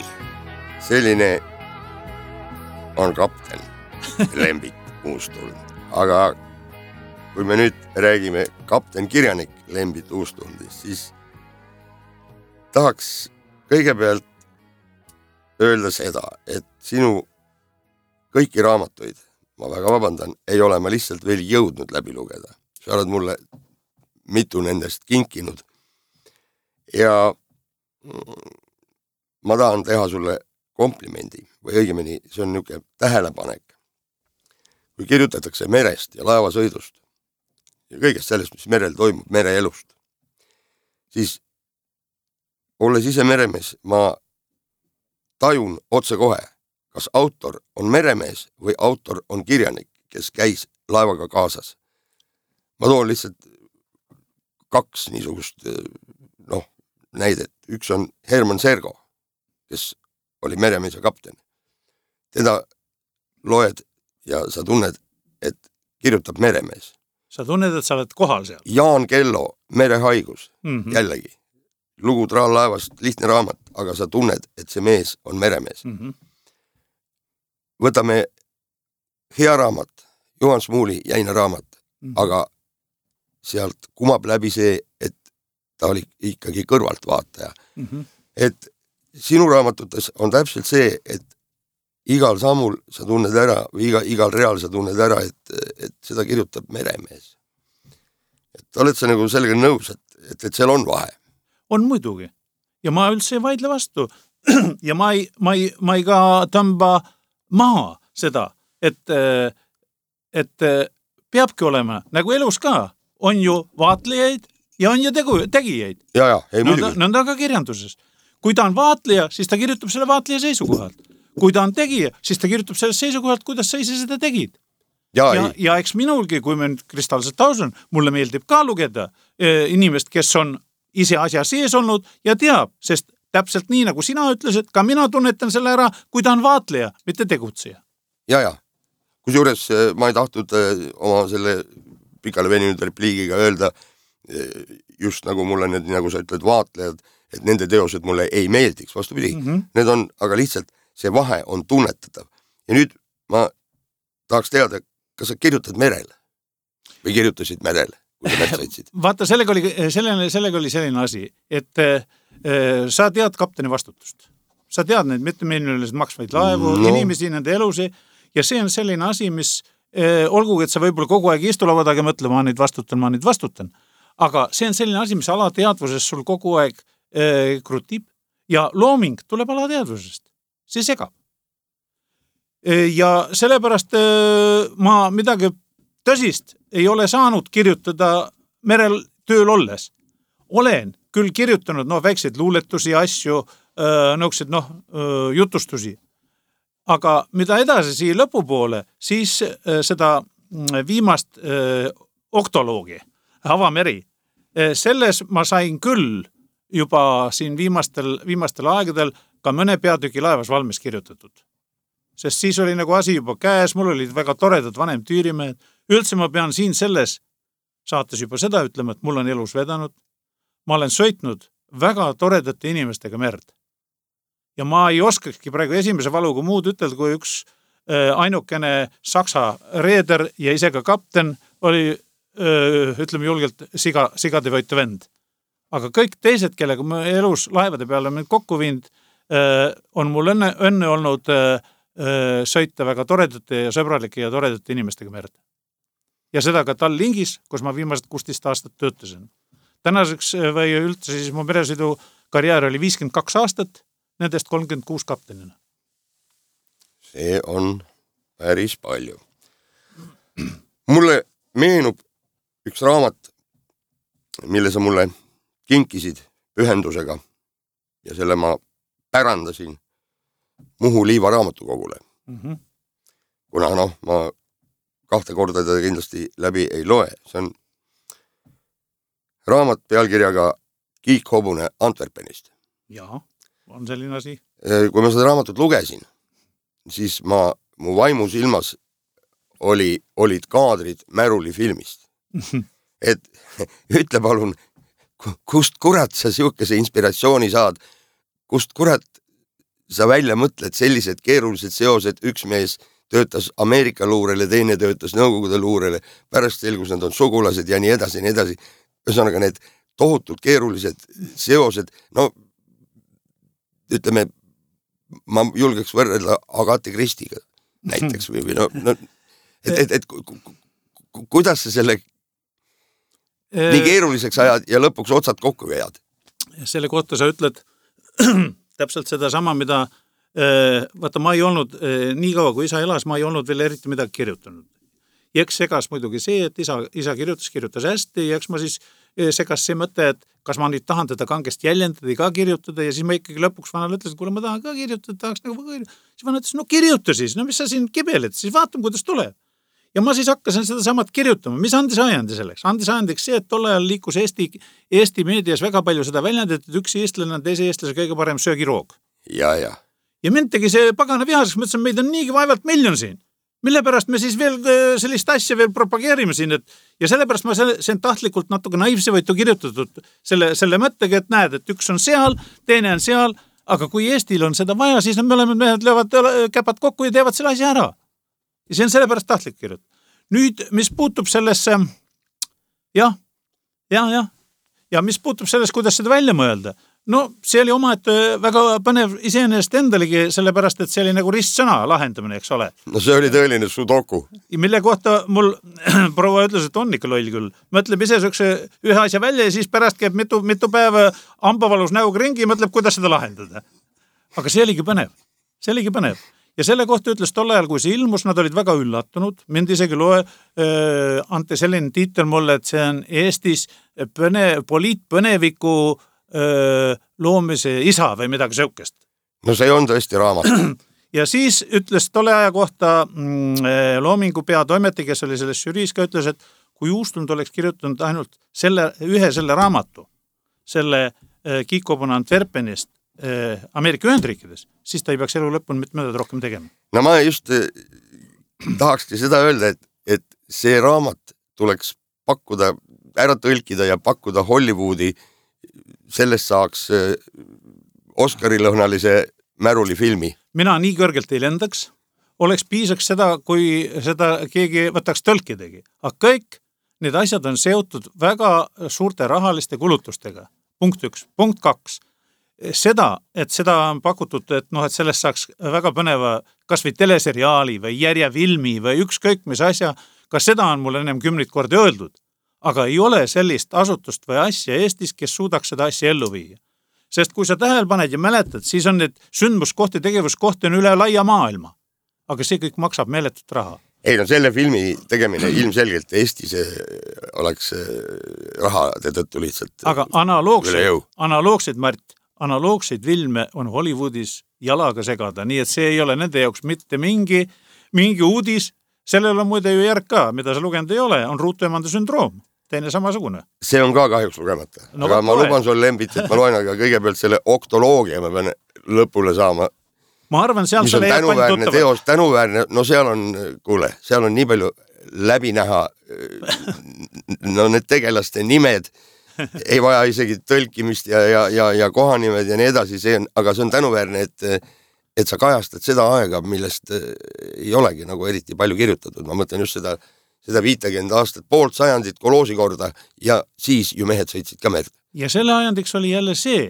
Speaker 2: selline on kapten Lembit Uustuld. Aga kui me nüüd räägime kapten kirjanik Lembit Uustuldist, siis tahaks kõigepealt öelda seda, et sinu kõiki raamatuid, ma väga vabandan, ei ole ma lihtsalt veel jõudnud läbi lugeda. Sa oled mulle mitu nendest kinkinud. Ja ma tahan teha sulle komplimendi või õigemini see on niisugune tähelepanek. Kui kirjutatakse merest ja laevasõidust ja kõigest sellest, mis merel toimub, mereelust, siis olles ise meremees, ma tajun otse kohe, kas autor on meremees või autor on kirjanik, kes käis laevaga kaasas. Ma toon lihtsalt 2 niisugust näidet. Üks on Herman Sergo, kes oli meremees ja kapten. Teda loed ja sa tunned, et kirjutab meremees.
Speaker 3: Sa tunned, et sa oled kohal seal.
Speaker 2: Jaan Kello, Merehaigus, jällegi. Lugu Traallaevast, lihtne raamat, aga sa tunned, et see mees on meremees. Võtame hea raamat, Juhan Smuuli jäine raamat, aga sealt kumab läbi see, et ta oli ikkagi kõrvaltvaataja. Et sinu raamatutes on täpselt see, et igal sammul sa tunned ära või igal real sa tunned ära, et seda kirjutab meremees. Et oled sa nagu sellega nõus, et seal on vahe?
Speaker 3: On muidugi. Ja ma üldse ei vaidle vastu. Ja ma ei ka tõmba maha seda, et peabki olema, nagu elus ka, on ju vaatlejaid ja on ju tegijaid.
Speaker 2: Ja, ei muidugi.
Speaker 3: Nõnda ka kirjanduses. Kui ta on vaatleja, siis ta kirjutab selle vaatleja seisukohalt. Kui ta on tegija, siis ta kirjutab sellest seisukohalt, kuidas sa ise seda tegid. Ja eks minulgi, kui me nüüd kristaalselt aus on, mulle meeldib ka lugeda inimest, kes on ise asja sees olnud ja teab, sest täpselt nii, nagu sina ütlesid, ka mina tunnetan selle ära, kui ta on vaatleja, mitte tegutseja.
Speaker 2: Ja. Kusjuures ma ei tahtnud oma selle pikale veninud repliigiga öelda, just nagu mulle need, nagu sa ütled, vaatlejad, et nende teosed mulle ei meeldiks, vastupidi. Need on, aga lihtsalt see vahe on tunnetatav. Ja nüüd ma tahaks teada, kas sa kirjutad merele või kirjutasid merele, kui sa merd sõitsid?
Speaker 3: Vaata, sellega oli selline asi, et sa tead kapteni vastutust. Sa tead neid mittemiljonilisi maksvaid laevu, inimesi, nende elusi ja see on selline asi, mis olgugi, et sa võib-olla kogu aeg istulaua taga mõtle, ma nüüd vastutan. Aga see on selline asi, mis alateadvuses sul kogu aeg krutib ja looming tuleb alateadvusest. See segab. Ja sellepärast ma midagi tõsist ei ole saanud kirjutada merel tööl olles. Olen küll kirjutanud väikseid luuletusi, asju, nõuksid, jutustusi. Aga mida edasi siia lõpupoole, siis seda viimast oktoloogi, avameri, selles ma sain küll juba siin viimastel aegadel ka mõne peatüki laevas valmis kirjutatud. Sest siis oli nagu asi juba käes, mul olid väga toredad vanem tüürimehed. Üldse ma pean siin selles saates juba seda ütlema, et mul on elus vedanud. Ma olen sõitnud väga toredate inimestega merd. Ja ma ei oskakski praegu esimese valuga muud ütelda, kui üks ainukene saksa reeder ja ise ka kapten oli, ütleme julgelt, sigade võitu vend. Aga kõik teised, kellega ma elus laevade peale mind kokku viinud, on mul õnne olnud sõita väga toredate ja sõbralike ja toredate inimestega merd. Ja seda ka Tallinkis, kus ma viimased 16 aastat töötasin. Tänaseks või üldse siis mu meresõidu karjäär oli 52 aastat, nendest 36 kaptenina.
Speaker 2: See on päris palju. Mulle meenub üks raamat, mille sa mulle kinkisid pühendusega ja selle ma pärandasin Muhu Liiva raamatukogule. Kuna ma 2 korda teda kindlasti läbi ei loe. See on raamat pealkirjaga Kiik hobune Antwerpenist.
Speaker 3: Jaa, on selline asi.
Speaker 2: Kui ma seda raamatut lugesin, siis mu vaimus ilmas olid kaadrid Märuli filmist. Et ütle palun, kust kurat sa siukese inspiratsiooni saad, kust kurat sa välja mõtled sellised keerulised seosed, üks mees töötas Ameerika luurele, teine töötas Nõukogude luurele, pärast selgus nad on sugulased ja nii edasi, nii edasi. Ühesõnaga need tohutult keerulised seosed, ütleme, ma julgeks võrrelda Agatha Christiga näiteks või kuidas sa selle nii keeruliseks ajad ja lõpuks otsad kokku vead?
Speaker 3: Selle kohta sa ütled täpselt seda sama, mida vaata, ma ei olnud nii kaua, kui isa elas, ma ei olnud veel eriti midagi kirjutanud. Ja eks segas muidugi see, et isa kirjutas hästi ja eks ma siis segas see mõte, et kas ma nüüd tahan teda kangest jäljendada ka kirjutada ja siis ma ikkagi lõpuks vanale ütlesin, kuule ma tahan ka kirjutada, tahaks nagu siis vana ütles, no kirjuta siis, no mis sa siin kibeled, siis vaatame, kuidas tuleb. Ja ma siis hakkasin seda samad kirjutama, mis andis ajandi selleks? Andis ajandiks see, et tolle ajal liikus Eesti meedias väga palju seda väljendit, et üks eestlane on teise eestlase kõige parem söögiroog.
Speaker 2: Ja
Speaker 3: mind tegi see pagana vihaseks, mõtlesin, meid on niigi vaevalt miljon siin. Mille pärast me siis veel sellist asja veel propageerime siin, ja sellepärast ma sen tahtlikult natuke naivse võitu kirjutatud selle mõttega, et näed, et üks on seal, teine on seal, aga kui Eestil on seda vaja, siis mehed löövad käpad kokku ja teevad selle asja ära. Ja see on sellepärast tahtlik kirjutada. Nüüd, mis puutub sellesse, ja mis puutub sellest, kuidas seda välja mõelda, no see oli omaette väga põnev iseenesest endalegi, sellepärast, et see oli nagu ristsõna lahendamine, eks ole.
Speaker 2: No see oli tõeline sudoku.
Speaker 3: Mille kohta mul proua ütles, et on ikka loll küll. Mõtleb ise ühe asja välja ja siis pärast käib mitu päeva ambavalus näoga ringi ja mõtleb, kuidas seda lahendada. Aga see oligi põnev. Ja selle kohta ütles tol ajal, kui see ilmus, nad olid väga üllatunud. Mind isegi anti selline tiitel mulle, et see on Eestis poliitpõneviku loomise isa või midagi sõukest.
Speaker 2: No see on tõesti raamat.
Speaker 3: Ja siis ütles tolle aja kohta Loomingu peatoimeti, kes oli selles žüriis ka, ütles, et kui Uustund oleks kirjutanud ainult selle raamatu, selle Kiikobuna Antwerpenist, Ameerika Ühendriikides, siis ta ei peaks elu lõpuni mitte midagi rohkem tegema.
Speaker 2: No ma just tahakski seda öelda, et see raamat tuleks pakkuda, ära tõlkida ja pakkuda Hollywoodi, sellest saaks Oscarilõhnalise Märuli filmi. Mina
Speaker 3: nii kõrgelt ei lendaks, oleks piisaks seda, kui seda keegi võtaks tõlkidegi. Aga kõik need asjad on seotud väga suurte rahaliste kulutustega. Punkt 1. Punkt 2. Seda on pakutud, et sellest saaks väga põneva kas või teleseriaali või järjefilmi või ükskõik mis asja, kas seda on mul ennem 10 korda öeldud, aga ei ole sellist asutust või asja Eestis, kes suudaks seda asja ellu viia. Sest kui sa tähele paned ja mäletad, siis on need sündmuskohti, tegevuskohti on üle laia maailma, aga see kõik maksab meeletut raha.
Speaker 2: Ei, no selle filmi tegemine ilmselgelt Eestis oleks rahade tõttu lihtsalt
Speaker 3: aga analoogseid filme on Hollywoodis jalaga segada, nii et see ei ole nende jaoks mitte mingi uudis. Sellel on muide ju järg ka, mida sa lugenud ei ole, on ruutuemande sündroom, teine samasugune. See on
Speaker 2: ka kahjuks lugemata, aga ma luban sul Lembit, et ma loen aga kõigepealt selle oktoloogia, ma pean lõpule saama.
Speaker 3: Ma arvan, seal
Speaker 2: mis on tänuväärne teos, no seal on nii palju läbi näha, no need tegelaste nimed, ei vaja isegi tõlkimist ja kohanimed ja nii edasi, aga see on tänuväärne, et sa kajastad seda aega, millest ei olegi nagu eriti palju kirjutatud. Ma mõtlen just seda 50 aastat, poolt sajandit koloosi korda ja siis ju mehed sõitsid ka merd.
Speaker 3: Ja selle ajandiks oli jälle see,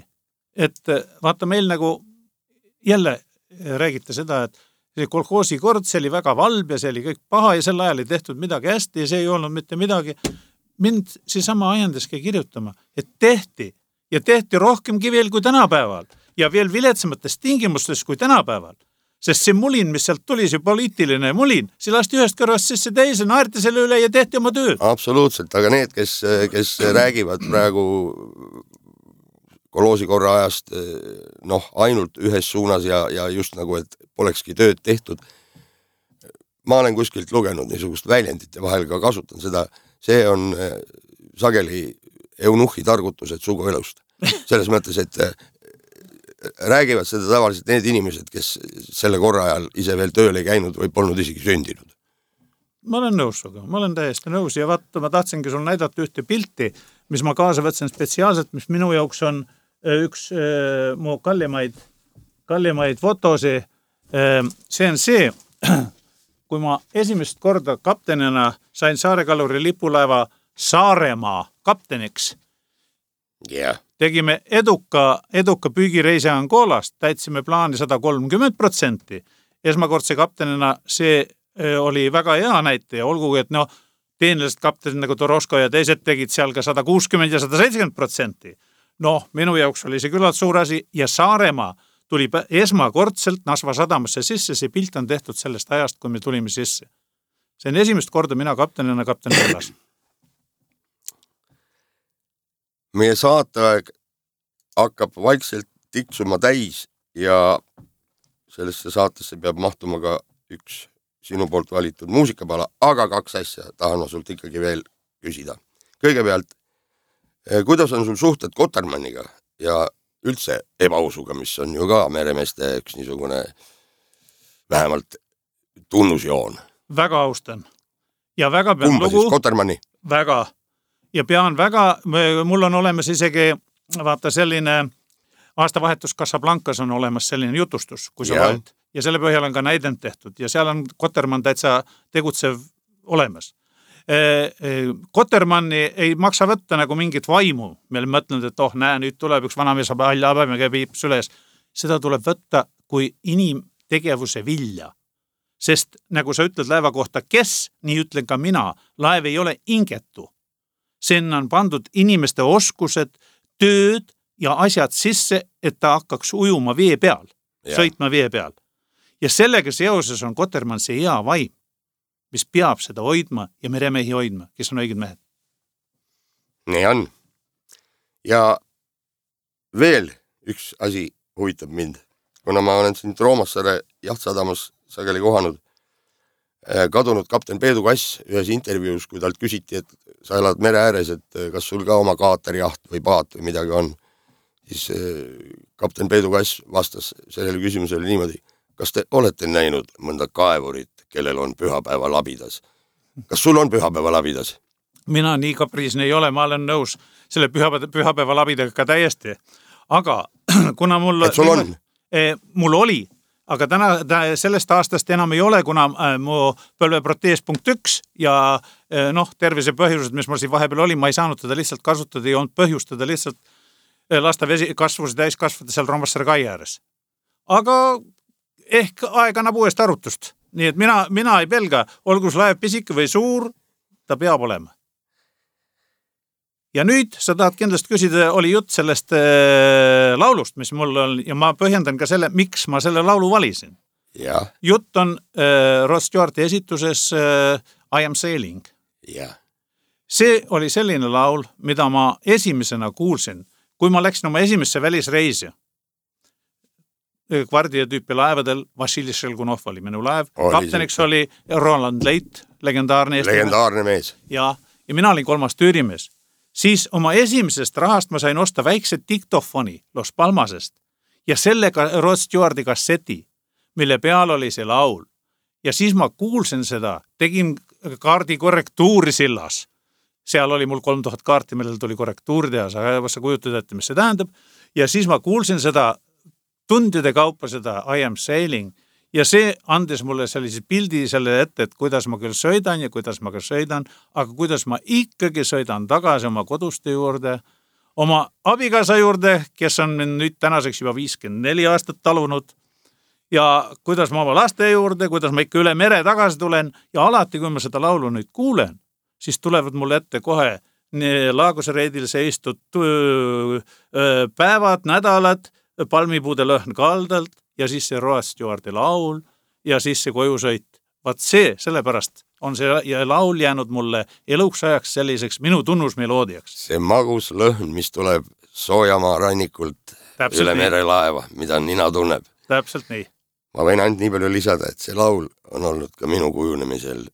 Speaker 3: et vaata meil nagu jälle räägite seda, et see kolhoosi kord, see oli väga valb ja see oli kõik paha ja sel ajal ei tehtud midagi hästi ja see ei olnud mitte midagi. Mind seesama ajandiski kirjutama, et tehti rohkemgi veel kui tänapäeval ja veel viletsamates tingimustes kui tänapäeval. Sest see mulin, mis sealt tuli, see poliitiline mulin, see lasti ühest kõrvast sisse teise, naerti selle üle ja tehti oma tööd.
Speaker 2: Absoluutselt, aga need, kes räägivad praegu koloosi korra ajast ainult ühes suunas ja just nagu, et polekski tööd tehtud. Ma olen kuskilt lugenud niisugust väljendite vahel ka kasutan seda. See on sageli eunuhhi targutused suguelust. Selles mõttes, et räägivad seda tavaliselt need inimesed, kes selle korra ajal ise veel tööl ei käinud või polnud isegi sündinud.
Speaker 3: Ma olen nõus suga, ma olen täiesti nõus ja vaata, ma tahtsingi sul näidata ühte pilti, mis ma kaasa võtsin spetsiaalselt, mis minu jaoks on üks mu kallimaid fotosi. See on see, kui ma esimest korda kaptenina sain Saarekaluri lipulaeva Saaremaa kapteniks.
Speaker 2: Yeah.
Speaker 3: Tegime eduka püügireise Angolast, täitsime plaani 130%. Esmakordse kaptenina see oli väga hea näite ja olgugi, et teenlased kaptenid nagu Toroško ja teised tegid seal ka 160 ja 170%. Minu jaoks oli see küllalt suur asi ja Saaremaa tuli esmakordselt Nasva sadamasse sisse, see pilt on tehtud sellest ajast, kui me tulime sisse. See on esimest korda mina kaptenina kapten Vellas.
Speaker 2: meie saateaeg hakkab vaikselt tiksuma täis ja sellesse saatesse peab mahtuma ka üks sinu poolt valitud muusikapala, aga 2 asja tahan ma sult ikkagi veel küsida. Kõigepealt, kuidas on sul suhted Kotermanniga ja üldse ebausuga, mis on ju ka meremeeste üks niisugune vähemalt tunnusjoon?
Speaker 3: Väga austan. Ja väga pean
Speaker 2: Kumba
Speaker 3: lugu.
Speaker 2: Siis, Kotermanni?
Speaker 3: Väga. Ja pean väga, mul on olemas isegi, vaata selline aastavahetus Casablancas on olemas selline jutustus, kui sa loed. Ja selle põhjal on ka näidend tehtud ja seal on Kotermann täitsa tegutsev olemas. Kotermanni ei maksa võtta nagu mingit vaimu. Meil mõtlenud, et näe, nüüd tuleb üks vanamees habemega piip süles. Seda tuleb võtta kui inimtegevuse vilja. Sest nagu sa ütled laeva kohta, kes, nii ütlen ka mina, laev ei ole ingetu. Sinna on pandud inimeste oskused, tööd ja asjad sisse, et ta hakkaks ujuma vee peal, sõitma vee peal. Ja sellega seoses on Kotermann see hea vaim, mis peab seda hoidma ja meremehi hoidma, kes on õiged mehed.
Speaker 2: Nii on. Ja veel üks asi huvitab mind. Kuna ma olen siin Roomassaare Jahtsadamas sageli kohanud, kadunud kapten Peedu Kass ühes intervjuus, kui talt küsiti, et sa elad mere ääres, et kas sul ka oma kaaterjaht või paat või midagi on, siis kapten Peedu Kass vastas sellele küsimusele niimoodi, kas te olete näinud mõnda kaevurit, kellel on pühapäeva labidas? Kas sul on pühapäeva labidas?
Speaker 3: Mina nii kapriisne ei ole, ma olen nõus selle pühapäeva labidaga ka täiesti. Aga kuna mul...
Speaker 2: Et sul on?
Speaker 3: Mul oli, aga sellest aastast enam ei ole, kuna mu põlveprotees punkt 1 ja tervise põhjused, mis mul siin vahepeal oli, ma ei saanud teda lihtsalt kasutada, ei olnud põhjustada lihtsalt lasta vesi kasvus täis kasvada seal Roomassaare kai ääres. Aga ehk aeg annab uuest arutust. Nii et mina ei pelga, olgu laev pisike või suur, ta peab olema. Ja nüüd sa tahad kindlasti küsida, oli jutt sellest laulust, mis mul on, ja ma põhjendan ka selle, miks ma selle laulu valisin.
Speaker 2: Ja.
Speaker 3: Jutt on Rod Stewarti esituses I Am Sailing.
Speaker 2: Ja.
Speaker 3: See oli selline laul, mida ma esimesena kuulsin, kui ma läksin oma esimesse välisreisi. Kvardia tüüpi laevadel Vassili Šelgunov oli minu laev. Kapteniks oli Roland Leit, legendaarne
Speaker 2: mees.
Speaker 3: Ja mina olin 3. tüürimees. Siis oma esimesest rahast ma sain osta väikse diktofoni Los Palmasest ja sellega Rod Stewarti kasseti, mille peal oli see laul. Ja siis ma kuulsin seda, tegin kaardi korrektuuri sillas. Seal oli mul 3000 kaarti, millel tuli korrektuuri teha, sa kujutad ette, mis see tähendab. Ja siis ma kuulsin seda tundide kaupa seda I Am Sailing ja see andis mulle sellise pildi selle ette, et kuidas ma küll sõidan ja kuidas ma ka sõidan, aga kuidas ma ikkagi sõidan tagasi oma koduste juurde, oma abikaasa juurde, kes on nüüd tänaseks juba 54 aastat talunud ja kuidas ma oma laste juurde, kuidas ma ikka üle mere tagasi tulen ja alati, kui ma seda laulu nüüd kuulen, siis tulevad mulle ette kohe Laaguse-reidil seistud päevad, nädalad, palmipuude lõhn kaldalt ja siis see Rod Stewarti laul ja siis see kojusõit. Vaat see, sellepärast on see laul jäänud mulle eluks ajaks selliseks minu tunnusmeloodiaks.
Speaker 2: See magus lõhn, mis tuleb Soojamaa rannikult täpselt üle merelaeva, mida nina tunneb.
Speaker 3: Täpselt nii.
Speaker 2: Ma võin ainult nii palju lisada, et see laul on olnud ka minu kujunemisel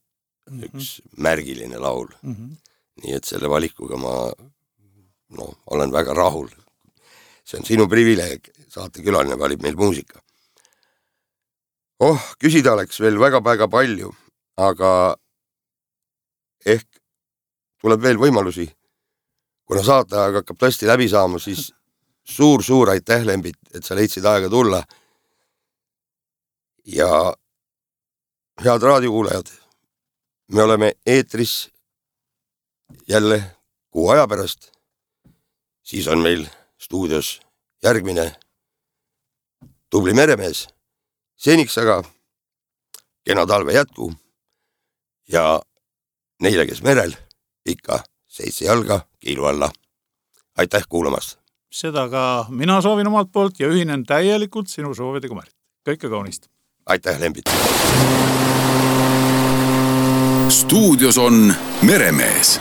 Speaker 2: üks märgiline laul. Nii et selle valikuga ma olen väga rahul. See on sinu privileeg, saatekülaline valib meil muusika. Küsida oleks veel väga palju, aga ehk tuleb veel võimalusi. Kuna saateaeg hakkab tõesti läbi saama, siis suur aitäh, Lembit, et sa leidsid aega tulla. Ja head raadiokuulajad, me oleme eetris jälle 6 aja pärast. Siis on meil stuudios järgmine tubli meremees. Seniks aga kena talve jätku ja neile, kes merel, ikka 7 jalga kiilu alla. Aitäh kuulamast!
Speaker 3: Seda ka mina soovin omalt poolt ja ühinen täielikult sinu soovidega, Märt. Kõike kaunist!
Speaker 2: Aitäh, Lembit!
Speaker 1: Stuudios on meremees.